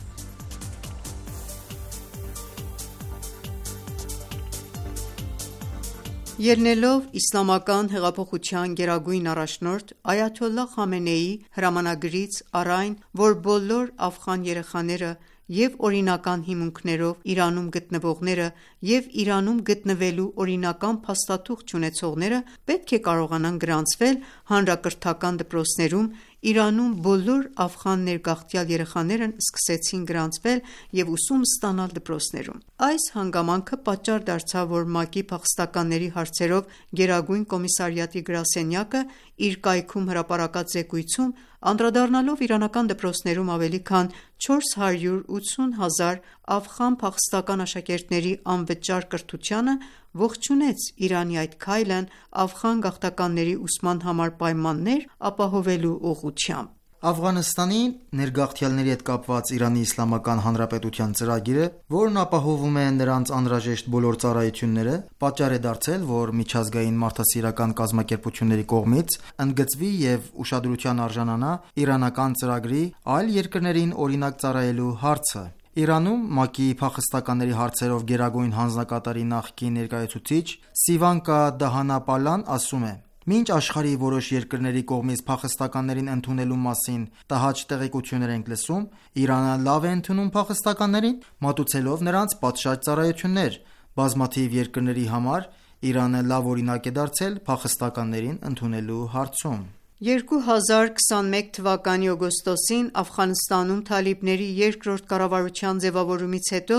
Ելնելով իսլամական հեղափոխության գերագույն առաջնորդ Այաթոլլահ Խամենեիի հրամանագրից առ այն, որ բոլոր աֆղան երեխաները և օրինական հիմունքներով Իրանում գտնվողները և Իրանում գտնվելու օրինական փաստաթուղթ չունեցողները պետք է կարողանան գրանցվել հանրակրթական դպրոցներում, Իրանում բոլոր աֆղան ներգաղթյալ երեխաներն սկսեցին գրանցվել և ուսում ստանալ դպրոցներում։ Այս հանգամանքը պատճառ դարձավ, որ ՄԱԿ-ի փախստականների հարցերով գերագույն կոմիսարիատի գրասենյակը իր կայքում հրապարակած զեկույցում, անդրադառնալով իրանական դպրոցներում ավելի քան չորս հարյուր ութսուն հազար աֆղան փախստական աշակերտների անվճար կրթությանը, ողջունեց Իրանի այդ քայլն աֆղան գաղթականների ուսման համար պայմաններ ապահովելու ուղղությամբ։ Աֆղանստանի ներգաղթյալների հետ կապված Իրանի Իսլամական Հանրապետության ծրագիրը, որն ապահովում է նրանց անհրաժեշտ բոլոր ծառայությունները, պատճառ է դարձել, որ միջազգային մարդասիրական կազմակերպությունների կողմից ընդգծվի և ուշադրության արժանանա իրանական ծրագրի այլ երկրներին օրինակ ծառայելու հարցը։ Իրանում ՄԱԿ-ի փախստականների հարցերով գերագույն հանձնակատարի նախկին ներկայացուցիչ Սիվանկա Դահանապալան ասում է. «Մինչ աշխարհի որոշ երկրների կողմից փախստականներին ընդունելու մասին տհաճ տեղեկություններ ենք լսում, Իրանը լավ է ընդունում փախստականներին, մատուցելով նրանց պատշաճ ծառայություններ։ Բազմաթիվ երկրների համար Իրանը լավ օրինակ է դարձել փախստականներին ընդունելու հարցում»։ երկու հազար քսանմեկ թվականի օգոստոսին Աֆղանստանում թալիբների երկրորդ կառավարության ձևավորումից հետո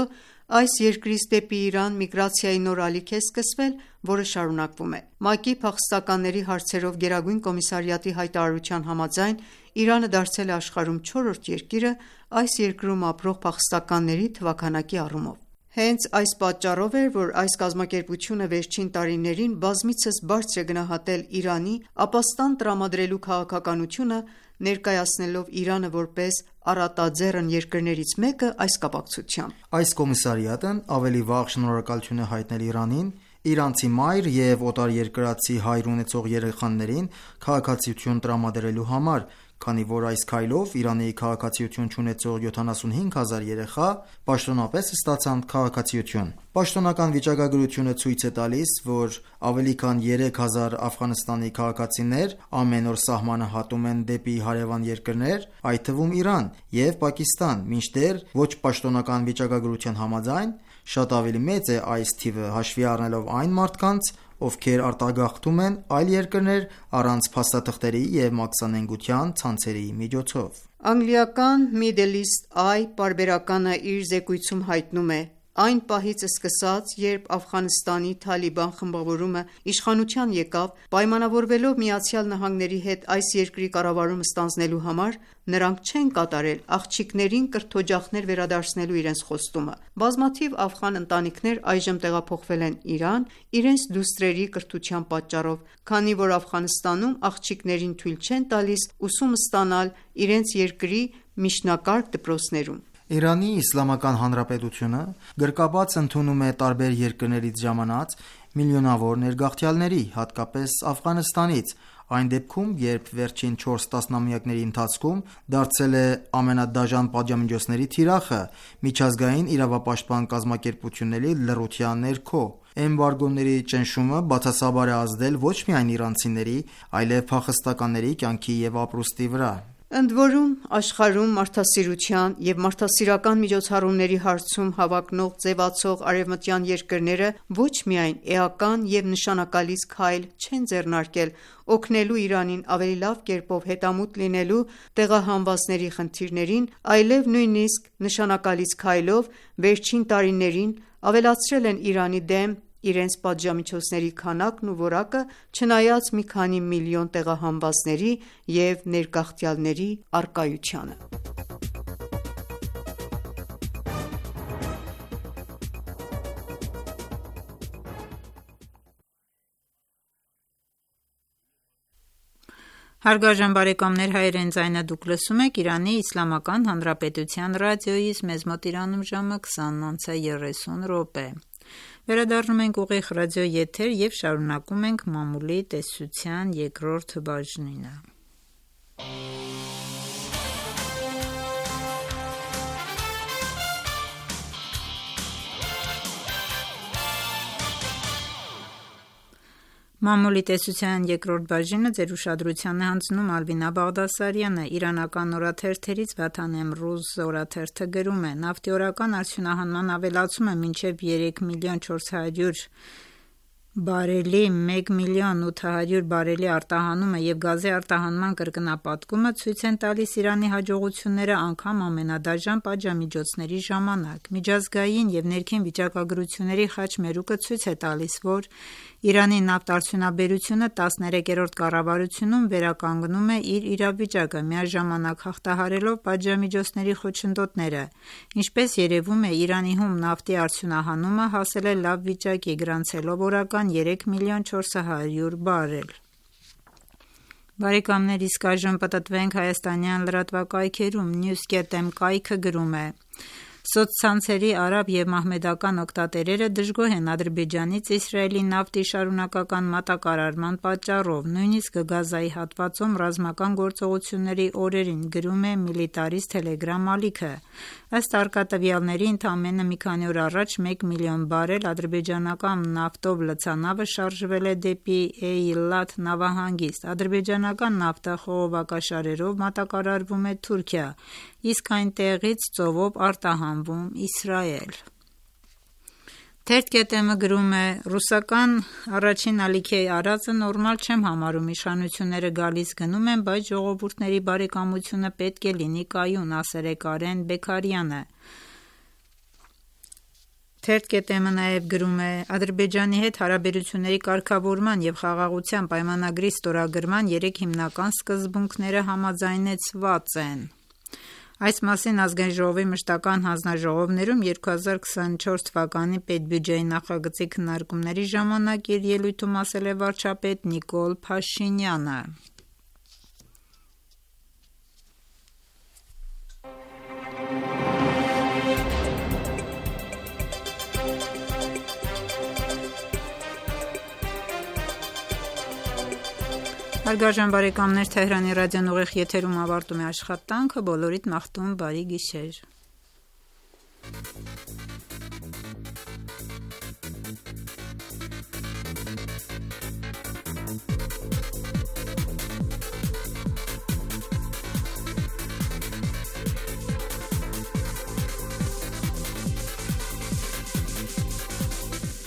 այս երկրից դեպի Իրան միգրացիայի նոր ալիք է սկսվել, որը շարունակվում է։ ՄԱԿ-ի փախստականների հարցերով գերագույն կոմիսարիատի հայտարարության համաձայն Իրանը դարձել է աշխարհում չորրորդ երկիրը այս երկրում ապրող փախստականների թվաքանակի առումով։ Հենց այս պատճառով էր, որ այս կազմակերպությունը վերջին տարիներին բազմիցս բարձր է գնահատել Իրանի ապաստան տրամադրելու քաղաքականությունը, ներկայացնելով Իրանը որպես առատաձեռն երկրներից մեկը այս կապակցությամբ։ Այս կոմիսարիատն ավելի վաղ շնորհակալություն է հայտնել Իրանին, իրանցի մայր և օտարերկրացի հայր ունեցող երեխաներին քաղաքացիություն տրամադրելու համար, քանի որ այս քայլով Իրանի քաղաքացիություն չունեցող յոթանասունհինգ հազար երեխա պաշտոնապես ստացան քաղաքացիություն։ Պաշտոնական վիճակագրությունը ցույց է տալիս, որ ավելի քան երեք հազար Աֆղանստանի քաղաքացիներ ամեն օր սահմանը հատում են դեպի հարևան երկրներ, այդ թվում Իրան և Պակիստան, մինչդեռ ոչ պաշտոնական վիճակագրության համաձայն շատ ավելի մեծ է այս թիվը, հաշվի առնելով այն մարդկանց, ովքեր արտագաղթում են այլ երկրներ առանց փաստաթղթերի և մաքսանենգության ցանցերի միջոցով։ Անգլիական Middle East Eye պարբերականը իր զեկույցում հայտնում է. Այն պահից սկսած, երբ Աֆղանստանի Թալիբան խմբավորումը իշխանության եկավ, պայմանավորվելով ԱՄՆ-ի հետ այս երկրի կառավարումը ստանձնելու համար, նրանք չեն կատարել աղջիկներին կրթօջախներ վերադարձնելու իրենց խոստումը։ Բազմաթիվ աֆղան ընտանիքներ այժմ տեղափոխվել են Իրան իրենց դուստրերի կրթության պատճառով, քանի որ Աֆղանստանում աղջիկներին թույլ չեն տալիս ուսում ստանալ իրենց երկրի միջնակարգ դպրոցներում։ Իրանի Իսլամական Հանրապետությունը գրկաբաց ընդունում է տարբեր երկրներից ժամանած միլիոնավոր ներգաղթյալների, հատկապես Աֆղանստանից, այն դեպքում, երբ վերջին չորս տասնամյակների ընթացքում դարձել է ամենադաժան պատժամիջոցների թիրախը միջազգային իրավապաշտպան կազմակերպությունների լռության ներքո։ Էմբարգոների ճնշումը բացասաբար է ազդել ոչ միայն իրանցիների, այլև փախստականների կյանքի և ապրուստի վրա։ Ընդ որում, աշխարհում մարդասիրության և մարդասիրական միջոցառումների հարցում հավակնող ձևացող արևմտյան երկրները ոչ միայն էական և նշանակալից քայլ չեն ձեռնարկել օգնելու Իրանին ավելի լավ կերպով հետամուտ լինելու տեղահանվածների խնդիրներին, այլև նույնիսկ նշանակալից քայլով վերջին տարիներին ավելացրել են Իրանի դեմ իրենց պատժամիջոցների քանակն ու որակը, չնայած մի քանի միլիոն տեղահանվածների և ներգաղթյալների առկայությանը։ Հարգարժան բարեկամներ, հայերեն ձայնը դուք լսում եք Իրանի Իսլամական Հանրապետության ռադիոյից, մեզ մոտ Իրանում ժամը քսանն անց է երեսուն րոպե։ Վերադառնում ենք ուղիղ ռադիո եթեր և շարունակում ենք մամուլի տեսության երկրորդ բաժինը։ Մամուլի տեսության երկրորդ բաժինը ձեր ուշադրությանը հանձնում Ալվինա Բաղդասարյանը։ Իրանական օրաթերթերից Վաթան Էմրուզ օրաթերթը գրում է. Նավթի օրական արդյունահանման ավելացումը մինչև երեք միլիոն չորս հարյուր բարելի, մեկ միլիոն ութ հարյուր բարելի արտահանումը և գազի արտահանման կրկնապատկումը ցույց են տալիս Իրանի հաջողությունները անգամ ամենադաժան պատժամիջոցների ժամանակ։ Միջազգային և ներքին վիճակագրությունների խաչմերուկը ցույց է տալիս, որ Իրանի նավթարդյունաբերությունը տասներեքերորդ կառավարությունում վերականգնում է իր իրավիճակը, միաժամանակ հաղթահարելով պատժամիջոցների խոչընդոտները։ Ինչպես երևում է, Իրանի հում նավթի արդյունահանումը հասել է լավ վիճակի, գրանցելով օրական երեք միլիոն չորս հարյուր բարել։ Բարեկամներ, իսկ այժմ պտտվենք հայաստանյան լրատվակայքերում։ News.am կայքը գրում է. Սոցցանցերի արաբ և մահմեդական օգտատերերը դժգոհ են Ադրբեջանից Իսրայելի նավթի շարունակական մատակարարման պատճառով, նույնիսկ Գազայի հատվածում ռազմական գործողությունների օրերին, գրում է Militaris Telegram ալիքը։ Ըստ արկատվյալների, ընդամենը մի քանի օր առաջ մեկ միլիոն բարել ադրբեջանական նավթով լցանավը շարժվել է դեպի Էյլատ նավահանգիստ։ Ադրբեջանական նավթը խողովակաշարերով մատակարարվում է Թուրքիա, իսկ այնտեղից ծովով արտահանվում Իսրայել։ Թերթ.am-ը գրում է. Ռուսական առաջին ալիքեի արածը նորմալ չեմ համարում, իշխանությունները գալիս գնում են, բայց ժողովուրդների բարեկամությունը պետք է լինի կայուն, ասել է Կարեն Բեքարյանը։ Թերթ.am-ը նաև գրում է. Ադրբեջանի հետ հարաբերությունների կարգավորման և խաղաղության պայմանագրի ստորագրման երեք հիմնական սկզբունքները համաձայնեցված են։ Այս մասին Ազգային ժողովի մշտական հանձնաժողովներում երկու հազար քսաներորդ թվականի պետբյուջեի նախագծի քննարկումների ժամանակ իր ելույթում ասել է վարչապետ Նիկոլ Փաշինյանը: Հարգարժան բարեկամներ, Թեհրանի ռադիոն ուղիղ եթերում ավարտում է աշխատանքը, բոլորիդ մաղթում բարի գիշեր: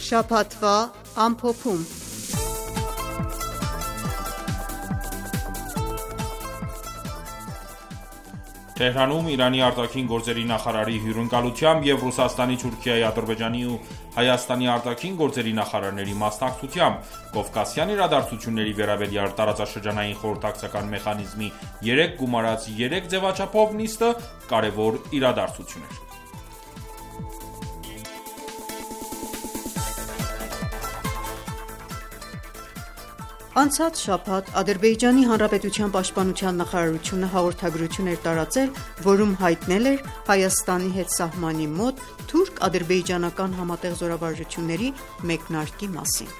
Շաբաթվա ամփոփում: Թեհրանում Իրանի արտաքին գործերի նախարարի հյուրընկալությամբ և Ռուսաստանի, Թուրքիայի, Ադրբեջանի ու Հայաստանի արտաքին գործերի նախարարների մասնակցությամբ Կովկասյան իրադարձությունների վերաբերյալ տարածաշրջանային խորհրդակցական մեխանիզմի երեք գումարած երեք ձևաչափով նիստը կարևոր իրադարձություն էր: Անցած շաբաթ Ադրբեջանի Հանրապետության պաշտպանության նախարարությունը հաղորդագրություն էր տարածել, որում հայտնել էր Հայաստանի հետ սահմանի մոտ թուրք-ադրբեջանական համատեղ զորավարժությունների մեկնարկի մասին: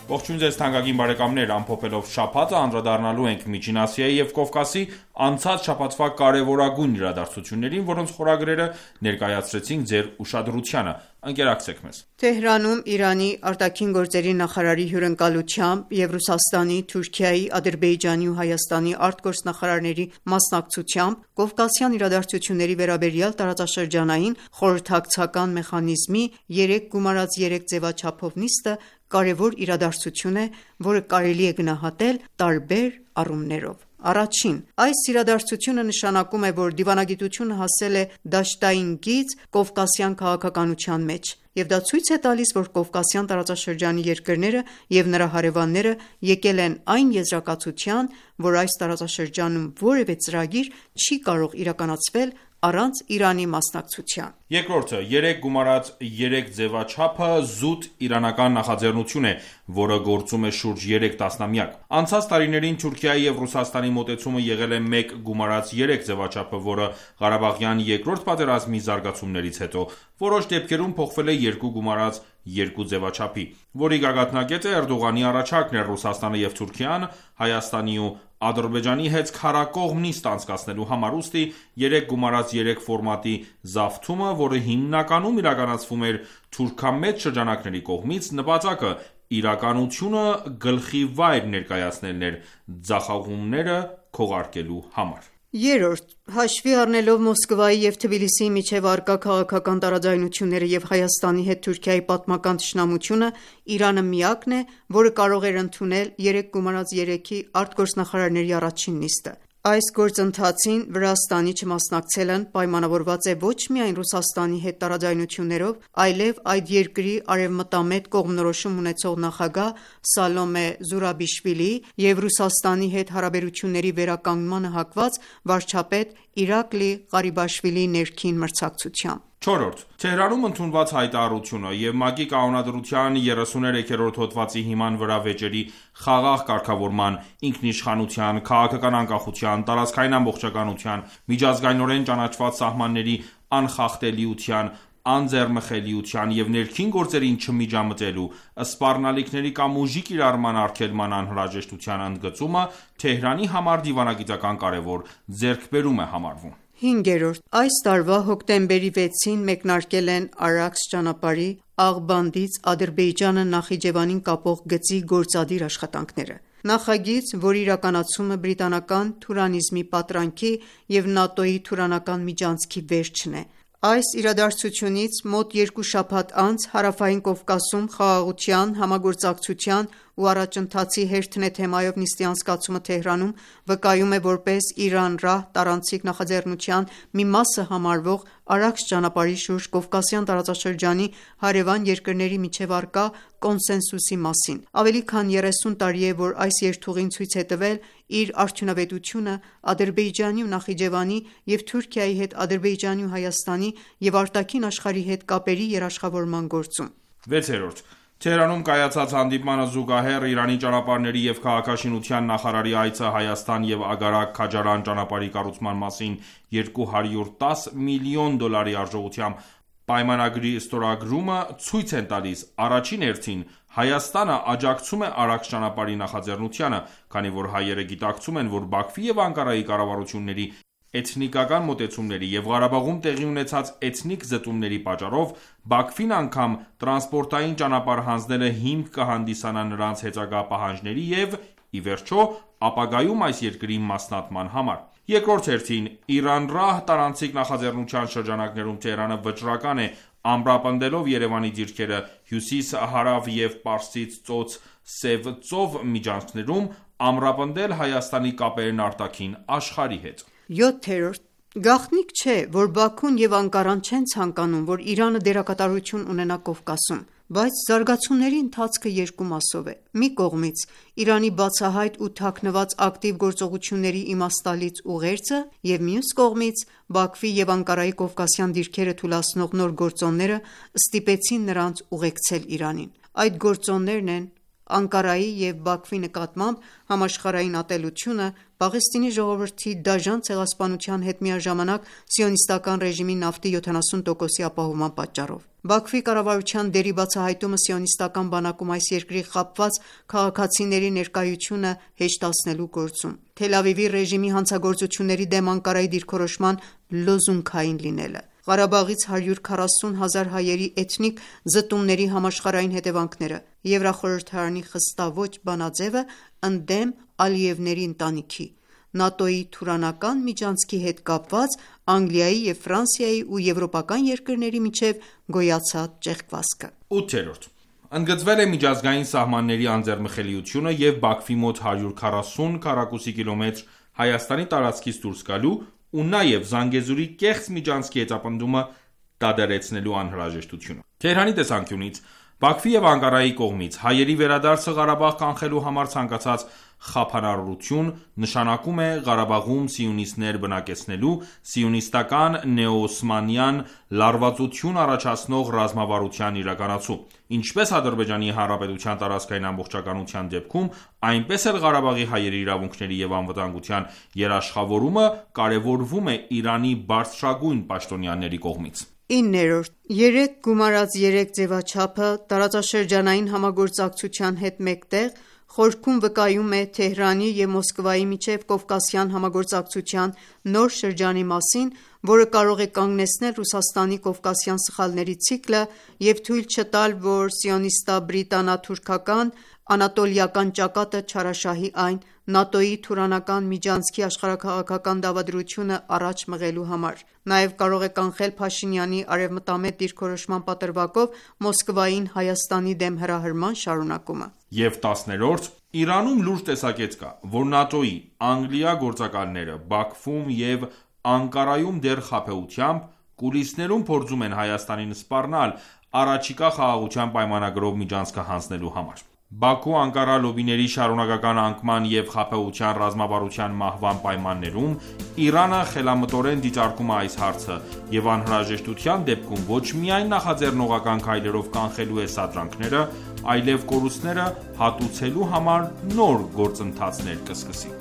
Ողջույն ձեզ թանկագին բարեկամներ: Ամփոփելով շաբաթը անդրադառնալու ենք Միջին Ասիայի և Կովկասի անցած շաբաթվա կարևորագույն իրադարձություններին, որոնց խորագրերը ներկայացրեցինք ձեր ուշադրությանը: Ընկերակցեք մեզ: Թեհրանում Իրանի ԱԳ նախարարի հյուրընկալությամբ և Ռուսաստանի, Թուրքիայի, Ադրբեջանի ու Հայաստանի արտգործնախարարների մասնակցությամբ Կովկասյան իրադարձությունների վերաբերյալ տարածաշրջանային խորհրդակցական մեխանիզմի երեք գումարած երեք ձևաչափով նիստը կարևոր իրադարձություն է, որը կարելի է գնահատել տարբեր առումներով: Առաջին. Այս իրադարձությունը նշանակում է, որ դիվանագիտությունը հասել է դաշտային գիծ կովկասյան քաղաքականության մեջ, և դա ցույց է տալիս, որ Կովկասյան տարածաշրջանի երկրները և նրա հարևանները եկել են այն եզրակացության, որ այս տարածաշրջանում որևէ ծրագիր չի կարող իրականացվել առանց Իրանի մասնակցության: Երկրորդը. երեք գումարած երեք ձևաչափը զուտ իրանական նախաձեռնություն է, որը գործում է շուրջ երեք տասնամյակ: Անցած տարիներին Թուրքիայի և Ռուսաստանի մոտեցումը եղել է մեկ գումարած երեք ձևաչափը, որը Ղարաբաղյան երկրորդ պատերազմի զարգացումներից հետո որոշ դեպքերում փոխվել է երկու գումարած երկու ձևաչափի, որի գագաթնակետը Էրդողանի առաջարկն էր Ռուսաստանը և Թուրքիան Հայաստանի ու Ադրբեջանի հետ քառակողմ նիստ անցկացնելու համար: Ուստի երեք գումարած երեք ֆորմատի զավթումը, որը հիմնականում իրականացվում էր թուրքամետ շրջանակների կողմից, նպատակը իրականությունը գլխիվայր ներկայացնելն էր ձախողումները քողարկելու համար: Երրորդ. Հաշվի առնելով Մոսկվայի և Թբիլիսիի միջև առկա քաղաքական տարաձայնությունները և Հայաստանի հետ Թուրքիայի պատմական թշնամությունը, Իրանը միակն է, որը կարող էր ընդունել երեք գումարած երեքի արտգործնախարարների առաջին նիստը: Այս գործընթացին Վրաստանի չմասնակցելն պայմանավորված է ոչ միայն Ռուսաստանի հետ տարաձայնություններով, այլև այդ երկրի արևմտամետ կողմնորոշում ունեցող նախագահ Սալոմե Զուրաբիշվիլիի և Ռուսաստանի հետ հարաբերությունների վերականգնմանը հակված վարչապետ Իրակլի Ղարիբաշվիլիի ներքին մրցակցությամբ: Չորրորդ. Թեհրանում ընդունված հայտարարությունը և ՄԱԿ-ի կանոնադրության երեսուներեքերորդ հոդվածի հիման վրա վեճերի խաղաղ կարգավորման, ինքնիշխանության, քաղաքական անկախության, տարածքային ամբողջականության, միջազգայնորեն ճանաչված սահմանների անխախտելիության, անձեռնմխելիության և ներքին գործերին չմիջամտելու, սպառնալիքների կամ ուժի կիրառման արգելման անհրաժեշտության ընդգծումը Թեհրանի համար դիվանագիտական կարևոր ձեռքբերում է համարվում: Հինգերորդ. Այս տարվա հոկտեմբերի վեցին մեկնարկել են Արաքս ճանապարհի Աղբանդից Ադրբեջանը Նախիջևանին կապող գծի գործադիր աշխատանքները: Նախագիծ, որի իրականացումը բրիտանական թուրանիզմի պատրանքի և ՆԱՏՕ-ի թուրանական միջանցքի վերջն է: Այս իրադարձությունից մոտ երկու շաբաթ անց Հարավային Կովկասում խաղաղության, համագործակցության ու առաջընթացի հերթն է թեմայով նիստի անցկացումը Թեհրանում վկայում է որպես Իրան-Ռահ տարանցիկ նախաձեռնության մի մասը համարվող արագ ճանապարհի շուրջ Կովկասյան տարածաշրջանի հարևան երկրների միջև առկա կոնսենսուսի մասին։ Ավելի քան երեսուն տարի է, որ այս երթուղին ցույց է տվել իր արդյունավետությունը Ադրբեջանի ու Նախիջևանի և Թուրքիայի հետ Ադրբեջանի ու Հայաստանի և արտաքին աշխարհի հետ կապերի երաշխավորման գործում։ վեցերորդ. Թեհրանում կայացած հանդիպմանը զուգահեռ Իրանի ճանապարհների և քաղաքաշինության նախարարի այցը Հայաստան և Ագարակ-Քաջարան ճանապարհի կառուցման մասին երկու հարյուր տասը միլիոն դոլարի արժողությամբ պայմանագրի ստորագրումը ցույց են տալիս առաջին հերթին Հայաստանը աջակցում է արագ ճանապարհի նախաձեռնությանը, քանի որ հայերը գիտակցում են, որ Բաքվի և Անկարայի կառավարությունների էթնիկական մոտեցումների և Ղարաբաղում տեղի ունեցած էթնիկ զտումների պատճառով Բաքվին անգամ տրանսպորտային ճանապարհ հանձնելը հիմք կհանդիսանա նրանց հետագա պահանջների և, ի վերջո, ապագայում այս երկրի մասնատման համար։ Երկրորդ հերթին, Իրան-Ռահ տարանցիկ նախաձեռնության շրջանակներում Թեհրանը վճռական է ամրապնդելով Երևանի դիրքերը հյուսիս-հարավ և Պարսից ծոց-Սև ծով միջանցքներում ամրապնդել Հայաստանի կապերն արտաքին աշխարհի հետ։ յոթերորդ. Գաղտնիք չէ, որ Բաքուն և Անկարան չեն ցանկանում, որ Իրանը դերակատարություն ունենա Կովկասում, բայց զարգացումների ընթացքը երկու մասով է։ Մի կողմից Իրանի բացահայտ ու թաքնված ակտիվ գործողությունների իմաստալից ուղերձը և մյուս կողմից Բաքվի և Անկարայի կովկասյան դիրքերը թուլացնող նոր գործոնները ստիպեցին նրանց ուղեկցել Իրանին։ Այդ գործոններն են Անկարայի և Բաքվի նկատմամբ համաշխարհային ատելությունը, Պաղեստինի ժողովրդի դաժան ցեղասպանության հետ միաժամանակ Սիոնիստական ռեժիմի նավթի յոթանասուն տոկոսի ապահովման պատճառով։ Բաքվի կառավարության դերի բացահայտումը Սիոնիստական բանակում այս երկրի խաբված քաղաքացիների ներկայությունը հեշտացնելու գործում։ Թել Ավիվի ռեժիմի հանցագործությունների դեմ Անկարայի դիրքորոշման լոզունգային լինելը։ Ղարաբաղից հարյուր քառասուն հազար հայերի էթնիկ զտումների համաշխարհային հետևանքները։ Եվրախորհրդարանի խստաոճ բանաձևը ընդդեմ Ալիևների ընտանիքի։ ՆԱՏՕ-ի թուրանական միջանցքի հետ կապված Անգլիայի և Ֆրանսիայի ու եվրոպական երկրների միջև գոյացած ճեղքվածքը։ ութերորդ. Ընդգծվել է միջազգային սահմանների անձեռնմխելիությունը և Բաքվի մոտ հարյուր քառասուն քառակուսի կիլոմետր Հայաստանի տարածքից դուրս գալու ու նաև Զանգեզուրի կեղծ միջանցքի հետապնդումը դադարեցնելու անհրաժեշտությունը։ Թեհրանի տեսանկյունից Բաքվի և Անկարայի կողմից հայերի վերադարձը Ղարաբաղ կանխելու համար ցանկացած խափանարարություն նշանակում է Ղարաբաղում սիոնիստներ բնակեցնելու, սիոնիստական նեոօսմանյան լարվածություն առաջացնող ռազմավարության իրականացում, ինչպես Ադրբեջանի Հանրապետության տարածքային ամբողջականության դեպքում, այնպես էլ Ղարաբաղի հայերի իրավունքների և անվտանգության երաշխավորումը կարևորվում է Իրանի բարձրագույն պաշտոնյաների կողմից։ իններորդ. Երեք գումարած երեք ձևաչափը տարածաշրջանային համագործակցության հետ մեկտեղ խորքում վկայում է Թեհրանի և Մոսկվայի միջև կովկասյան համագործակցության նոր շրջանի մասին, որը կարող է կանգնեցնել Ռուսաստանի կովկասյան սխալների ցիկլը և թույլ չտալ, որ սիոնիստա-բրիտանա-թուրքական անատոլիական ճակատը չարաշահի այն՝ ՆԱՏՕ-ի թուրանական միջանցքի աշխարհաքաղաքական դավադրությունը առաջ մղելու համար։ Նաև կարող է կանխել Փաշինյանի արևմտամետ դիրքորոշման պատրվակով Մոսկվային Հայաստանի դեմ հրահրման շարունակումը։ Եվ տասներորդ. Իրանում լուրջ տեսակետ կա, որ ՆԱՏՕ-ի Անգլիա գործակալները Բաքվում և Անկարայում դեռ խաբեությամբ, կուլիսներում փորձում են Հայաստանին սպառնալ առաջիկա խաղաղության պայմանագրով միջանցքը հանձնելու համար։ Բաքու-Անկարա լոբիների շարունակական անկման և խաբեության ռազմավարության մահվան պայմաններում Իրանը խելամտորեն դիտարկում է այս հարցը և անհրաժեշտության դեպքում ոչ միայն նախաձեռնողական քայլերով կանխելու է սադրանքները, այլև կորուստները հատուցելու համար նոր գործընթացներ կսկսի։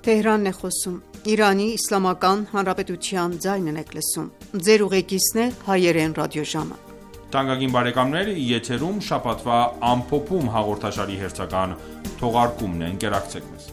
Թեհրանն է խոսում։ Իրանի Իսլամական Հանրապետության ձայնն եք լսում։ Ձեր ուղեկիցն է հայերեն ռադիոժամը։ Թանկագին բարեկամներ, եթերում շաբաթվա ամփոփում հաղորդաշարի հերթական թողարկումն է, ընկերակցեք մեզ։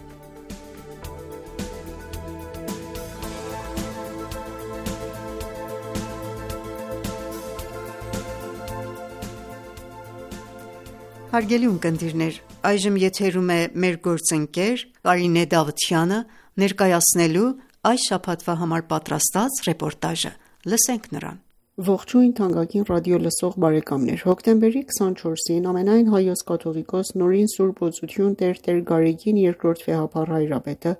Հարգելի ունկնդիրներ, այժմ եթերում է մեր գործընկեր Կարինե Դավթյանը ներկայացնելու այս շաբաթվա համար պատրաստած ռեպորտաժը։ Լսենք նրան։ Ողջույն թանկագին ռադիո լսող բարեկամներ, հոկտեմբերի քսանչորսին ամենայն հայոց կաթողիկոս Նորին Սուրբ Օծություն Տեր Գարեգին երկրորդ վեհափառ հայրապետը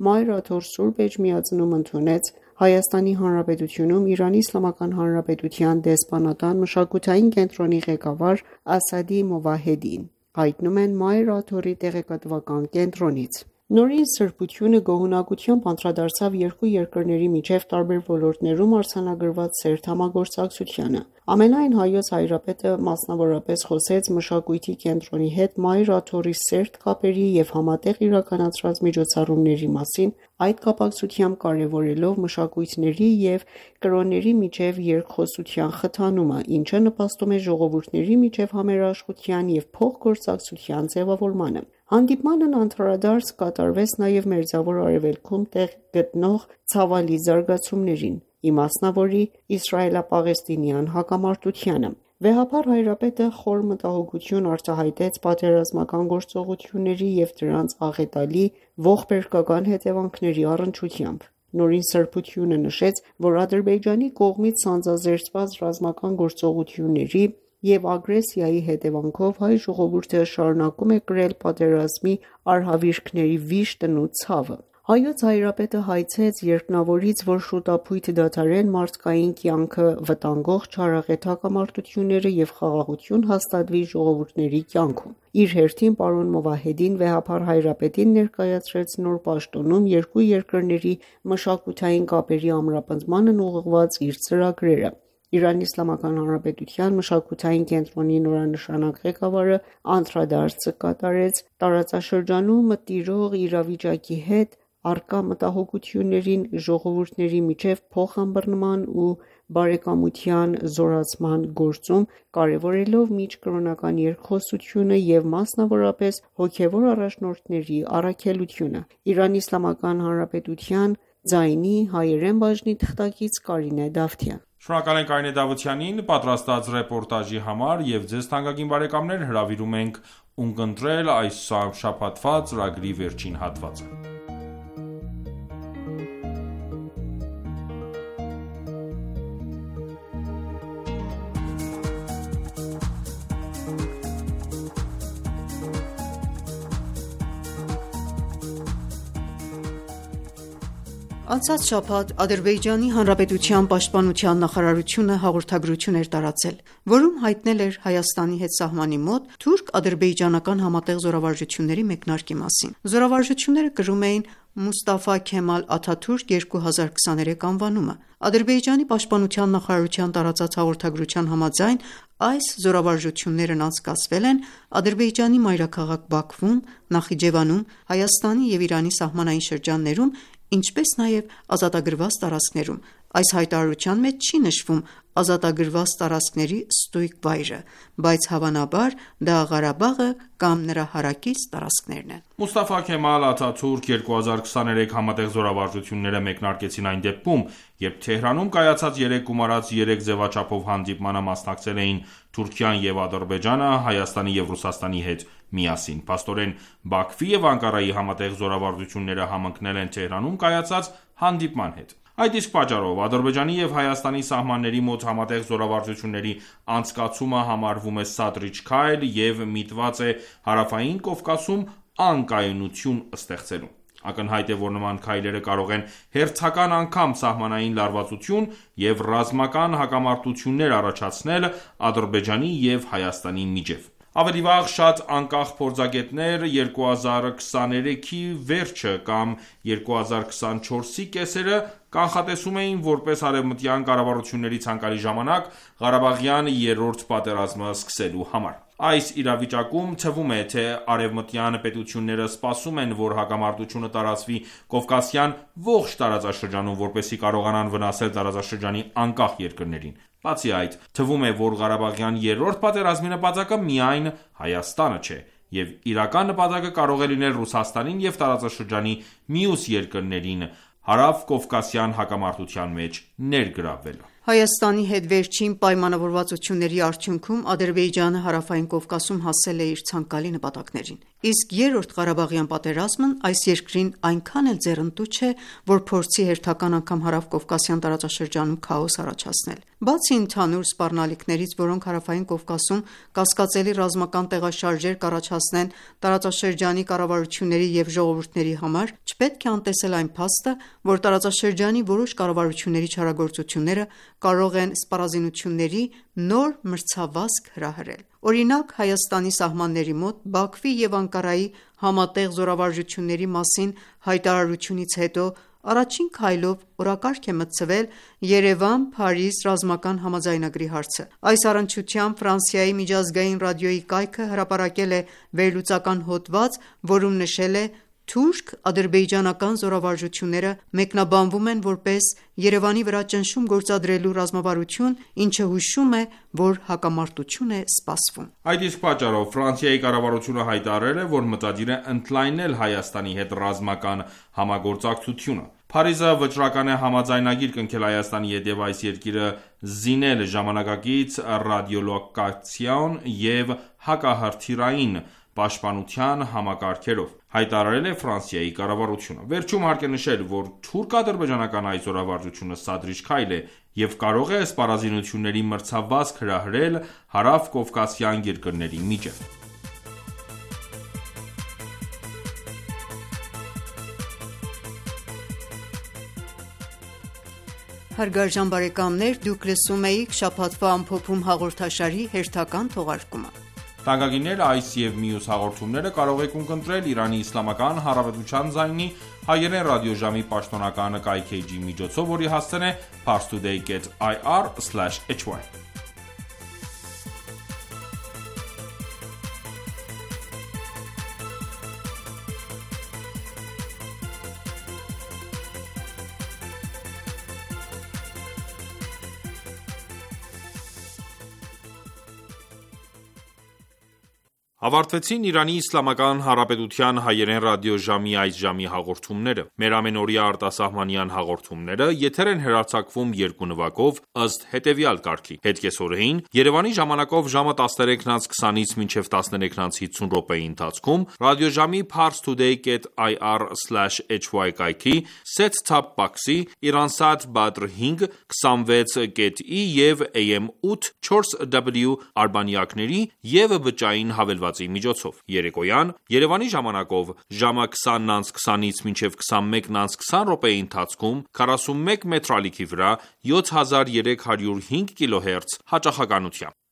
Մայր Աթոռ Սուրբ Էջմիածնում ընդունեց Հայաստանի Հանրապետությունում Իրանի Իսլամական Հանրապետության դեսպանատան մշակութային կենտրոնի ղեկավար Ասադի Մովահեդին, հայտնում են Մայր Աթոռի տեղեկատվական կենտրոնից։ Նորին սրբությունը գոհունակությամբ անդրադարձավ երկու երկրների միջև տարբեր ոլորտներում արձանագրված սերտ համագործակցությանը։ Ամենայն հայոց հայրապետը մասնավորապես խոսեց մշակույթի կենտրոնի հետ Մայր Աթոռի սերտ կապերի և համատեղ իրականացրած միջոցառումների մասին, այդ կապակցությամբ կարևորելով մշակույթների և կրոնների միջև երկխոսության խթանումը, ինչը նպաստում է ժողովուրդների միջև համերաշխության և փոխգործակցության ձևավորմանը։ Հանդիպմանն անդրադարձ կատարվեց նաև Մերձավոր Արևելքում տեղ գտնող ցավալի զարգացումներին, իմասնավորի իսրայելա-պաղեստինյան հակամարտությանը։ Վեհափառ հայրապետը խոր մտահոգություն արտահայտեց պատերազմական գործողությունների և դրանց աղետալի ողբերգական հետևանքների առնչությամբ։ Նորին սրբությունը նշեց, որ Ադրբեջանի կողմից սանձազերծված ռազմական գործողությունների և ագրեսիայի հետևանքով հայ ժողովուրդը շարունակում է կրել պատերազմի արհավիրքների վիշտն ու ցավը։ Հայոց հայրապետը հայցեց երկնավորից, որ շուտափույթ դադարեն մարդկային կյանքը վտանգող չարաղետ հակամարտությունները և խաղաղություն հաստատվի ժողովուրդների կյանքում։ Իր հերթին պարոն Մովահեդին վեհափառ հայրապետին ներկայացրեց նոր պաշտոնում երկու երկրների մշակութային կապերի ամրապնդմանն ուղղված իր ծրագրերը։ Իրանի Իսլամական Հանրապետության մշակութային կենտրոնի նորանշանակ ղեկավարը անդրադարձ կատարեց տարածաշրջանում տիրող իրավիճակի հետ առկա մտահոգություններին, ժողովուրդների միջև փոխըմբռնման ու բարեկամության զորացման գործում, կարևորելով միջկրոնական երկխոսությունը և մասնավորապես հոգևոր առաջնորդների առաքելությունը։ Իրանի Իսլամական Հանրապետության ձայնի հայերեն բաժնի թղթակից Կարինե Դավթյան։ Շնորհակալ ենք Կարինե Դավթյանին պատրաստած ռեպորտաժի համար և ձեզ թանկագին բարեկամներ հրավիրում ենք ունկնդրել այս շաբաթվա ծրագրի վերջին հատվածը։ Անցած շաբաթ Ադրբեջանի Հանրապետության պաշտպանության նախարարությունը հաղորդագրություն էր տարածել, որում հայտնել էր Հայաստանի հետ սահմանի մոտ թուրք-ադրբեջանական համատեղ զորավարժությունների մեկնարկի մասին։ Զորավարժությունները կրում էին Մուստաֆա Քեմալ Աթաթուրք երկու հազար քսաներեք անվանումը։ Ադրբեջանի պաշտպանության նախարարության տարածած հաղորդագրության համաձայն այս զորավարժություններն անցկացվել են Ադրբեջանի մայրաքաղաք Բաքվում, Նախիջևանում, Հայաստանի և Իրանի սահմանային շրջաններում, ինչպես նաև ազատագրված տարածքներում։ Այս հայտարարության մեջ չի նշվում ազատագրված տարածքների ստույգ վայրը, բայց հավանաբար դա Ղարաբաղը կամ նրա հարակից տարածքներն են։ Մուստաֆա Քեմալ Աթաթուրք երկու հազար քսաներեք համատեղ զորավարժությունները մեկնարկեցին այն դեպքում, երբ Թեհրանում կայացած երեք գումարած երեք ձևաչափով հանդիպմանը մասնակցել էին Թուրքիան և Ադրբեջանը Հայաստանի և Ռուսաստանի հետ միասին։ Փաստորեն, Բաքվի և Անկարայի համատեղ զորավարժությունները համընկնել են Թեհրանում կայացած հանդիպման հետ։ Այդ իսկ պատճառով Ադրբեջանի և Հայաստանի սահմանների մոտ համատեղ զորավարժությունների անցկացումը համարվում է սադրիչ քայլ և միտված է Հարավային Կովկասում անկայունություն ստեղծելու։ Ակնհայտ է, որ նման քայլերը կարող են հերթական անգամ սահմանային լարվածություն և ռազմական հակամարտություններ առաջացնել Ադրբեջանի և Հայաստանի միջև։ Ավելի վաղ շատ անկախ փորձագետներ երկու հազար քսաներեքի վերջը կամ երկու հազար քսանչորսի կեսերը կանխատեսում էին որպես արևմտյան կառավարությունների ցանկալի ժամանակ Ղարաբաղյան երրորդ պատերազմը սկսելու համար։ Այս իրավիճակում թվում է, թե արևմտյան պետությունները սպասում են, որ հակամարտությունը տարածվի Կովկասյան ողջ տարածաշրջանում, որպեսզի կարողանան վնասել տարածաշրջանի անկախ երկրներին։ Բացի այդ, թվում է, որ Ղարաբաղյան երրորդ պատերազմի նպատակը միայն Հայաստանը չէ, և իրական նպատակը կարող է լինել Ռուսաստանին և տարածաշրջանի մյուս երկրներին հարավկովկասյան հակամարտության մեջ ներգրավվելը։ Հայաստանի հետ վերջին պայմանավորվածությունների արդյունքում Ադրբեջանը Հարավային Կովկասում հասել է իր ցանկալի նպատակներին։ իսկ Երրորդ Ղարաբաղյան պատերազմն այս երկրին այնքան էլ ձեռնտու չէ, որ փորձի հերթական անգամ Հարավկովկասյան տարածաշրջանում քաոս առաջացնել։ Բացի ընդհանուր սպառնալիքներից, որոնք Հարավային Կովկասում կասկածելի ռազմական տեղաշարժեր կառաջացնեն տարածաշրջանի կառավարությունների և ժողովուրդների համար, չպետք է անտեսել այն փաստը, որ տարածաշրջանի որոշ կառավարությունների չարագործությունները կարող են սպառազինությունների նոր մրցավազք հրահրել։ Օրինակ, Հայաստանի սահմանների մոտ Բաքվի և Անկարայի համատեղ զորավարժությունների մասին հայտարարությունից հետո առաջին քայլով օրակարգ է մտցվել Երևան-Փարիզ ռազմական համաձայնագրի հարցը։ Այս առնչությամբ Ֆրանսիայի միջազգային ռադիոյի կայքը հրապարակել է վերլուծական հոդված, որում նշել է. «Թուրք-ադրբեջանական զորավարժությունները մեկնաբանվում են որպես Երևանի վրա ճնշում գործադրելու ռազմավարություն, ինչը հուշում է, որ հակամարտություն է սպասվում»։ Այդ իսկ պատճառով Ֆրանսիայի կառավարությունը հայտարարել է, որ մտադիր է ընդլայնել Հայաստանի հետ ռազմական համագործակցությունը։ Փարիզը վճռական է համաձայնագիր կնքել Հայաստանի հետ և այս երկիրը զինել ժամանակակից ռադիոլոկացիոն և հակահրթիռային պաշտպանության համակարգերով, հայտարարել է Ֆրանսիայի կառավարությունը։ Վերջում հարկ է նշել, որ թուրք-ադրբեջանական այս զորավարժությունը սադրիչ քայլ է և կարող է սպառազինությունների մրցավազք հրահրել հարավկովկասյան երկրների միջև։ Հարգարժան բարեկամներ, դուք լսում էիք շաբաթվա ամփոփում հաղորդաշարի հերթական թողարկումը։ Թանկագիններ, այս և մյուս հաղորդումները կարող եք ունկնդրել Իրանի Իսլամական Հանրապետության ձայնի հայերեն ռադիոժամի պաշտոնական կայքէջի միջոցով, որի հասցեն է parstoday dot i r slash h y։ Ավարտվեցին Իրանի Իսլամական Հանրապետության հայերեն ռադիոժամի այս ժամի հաղորդումները։ Մեր ամենօրյա արտասահմանյան հաղորդումները եթեր են հեռարձակվում երկու նվագով ըստ հետևյալ կարգի. Հետկեսօրեին Երևանի ժամանակով ժամը տասներեքն անց քսանից մինչև տասներեքն անց հիսուն րոպեի ընթացքում ռադիոժամի parstoday dot i r slash h y կայքի set-top box-ի Iransat Badr հինգ, քսանվեց կետ ի և A M ութ չորս W արբանյակների և բջջային հավելվածի միջոցով։ Երեկոյան Երևանի ժամանակով ժամը քսանն անց քսանից մինչև քսանմեկն անց քսան րոպեի ընթացքում քառասունմեկ մետր ալիքի վրա յոթ հազար երեք հարյուր հինգ կիլոհերց հաճախականությամբ։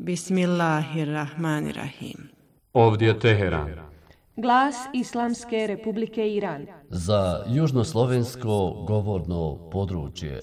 Bismillahirrahmanirrahim. Ovdje Teheran. Glas Islamske Republike Iran. Za južnoslovensko govorno područje.